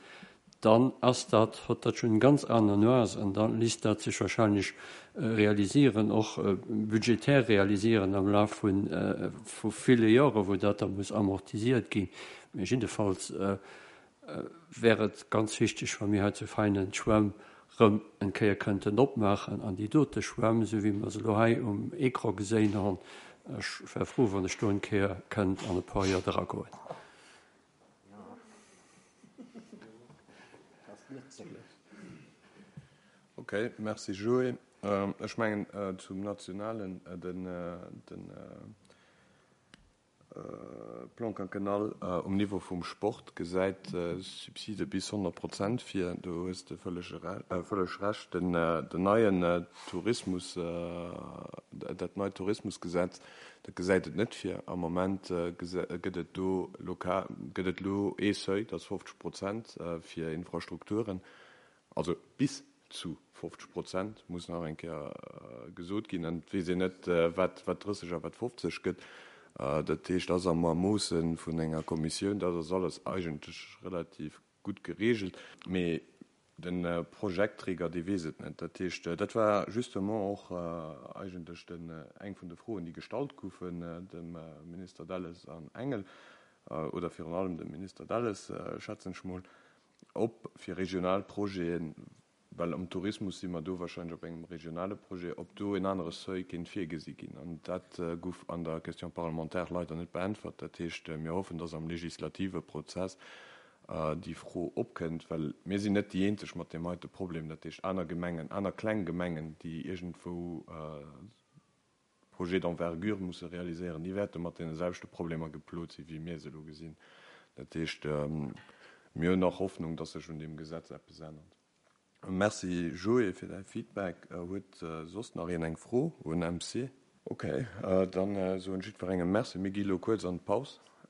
Speaker 6: dann ass dat, hott dat schonn eng ganz aner Nuance an da lisst dat sech wahrscheinlech realisieren, och budgetär realisieren am Laf vu ville Jore wou dat da muss amortisiert ginn. Mee jiddefalls wär et ganz wichteg, wa mir hei zu Veinen d'Schwämm rëm eng Kéier kënnten opmaachen an déi dote Schwämm, esou wéi mer se elo hei um Ecran geséin honn, ech wär frou, wann ech do eng Kéier kënnt an e puer Joer dragoen.
Speaker 1: Ok, merci Joé. Ech mengen zum nationalen, den Plan quinquennal um Niveau vum Sport gesäit Subside bis 100 Prozent vir. Do hues de vëlleg Recht. Den neien Tourismus, dat neit Tourismusgesetz, Dat gesäit et net vir. Am Moment gëtt et do lokal, gëtt et elo ee Seuil, dat ass 50 Prozent fir Infrastrukturen, also bis zu 50 Prozent, muss nach eng Kéier gesot ginn. An et weess een net, wat 30 a wat 50 gëtt. Dat heescht, dat ass am Ermoosse vun enger Kommissioun. Dat ass alles eigentlech relativ gutt geregelt. Mee De Projektträger, dee weess et net. Dat heescht, dat war justement och eigentlech den, eng vun de Froen, déi gestallt goufen dem Minister Delles an Engel, oder virun allem dem Minister Delles, schätzen ech mol, ob fir regional Projeten, well am Tourismus si mer do wahrscheinlech op engem regionale Projet, ob do en anere Seuil kéint virgesi ginn. An dat gouf an der Question parlementaire leider net beäntwert. Dat heescht, mir hoffen, dass am legislative Prozess déi Fro opkënnt, well mir sinn net déi eenzeg mat deem heite Problem, dat heescht aner Gemengen, aner kleng Gemengen, déi iergendwou Projets d'envergure musse realiséieren, déi wäerte mat deene selwechte Problemer geplot sinn, wéi mir se elo gesinn. Dat heescht, mir hunn nach Hoffnung, dass sech un deem Gesetz eppes ännert. Merci Joé fir däi Feedback. Huet soss nach een eng Fro un MC? Ok, dann soen jiddwerengem Merci. Mir gi elo kuerz an d'Paus.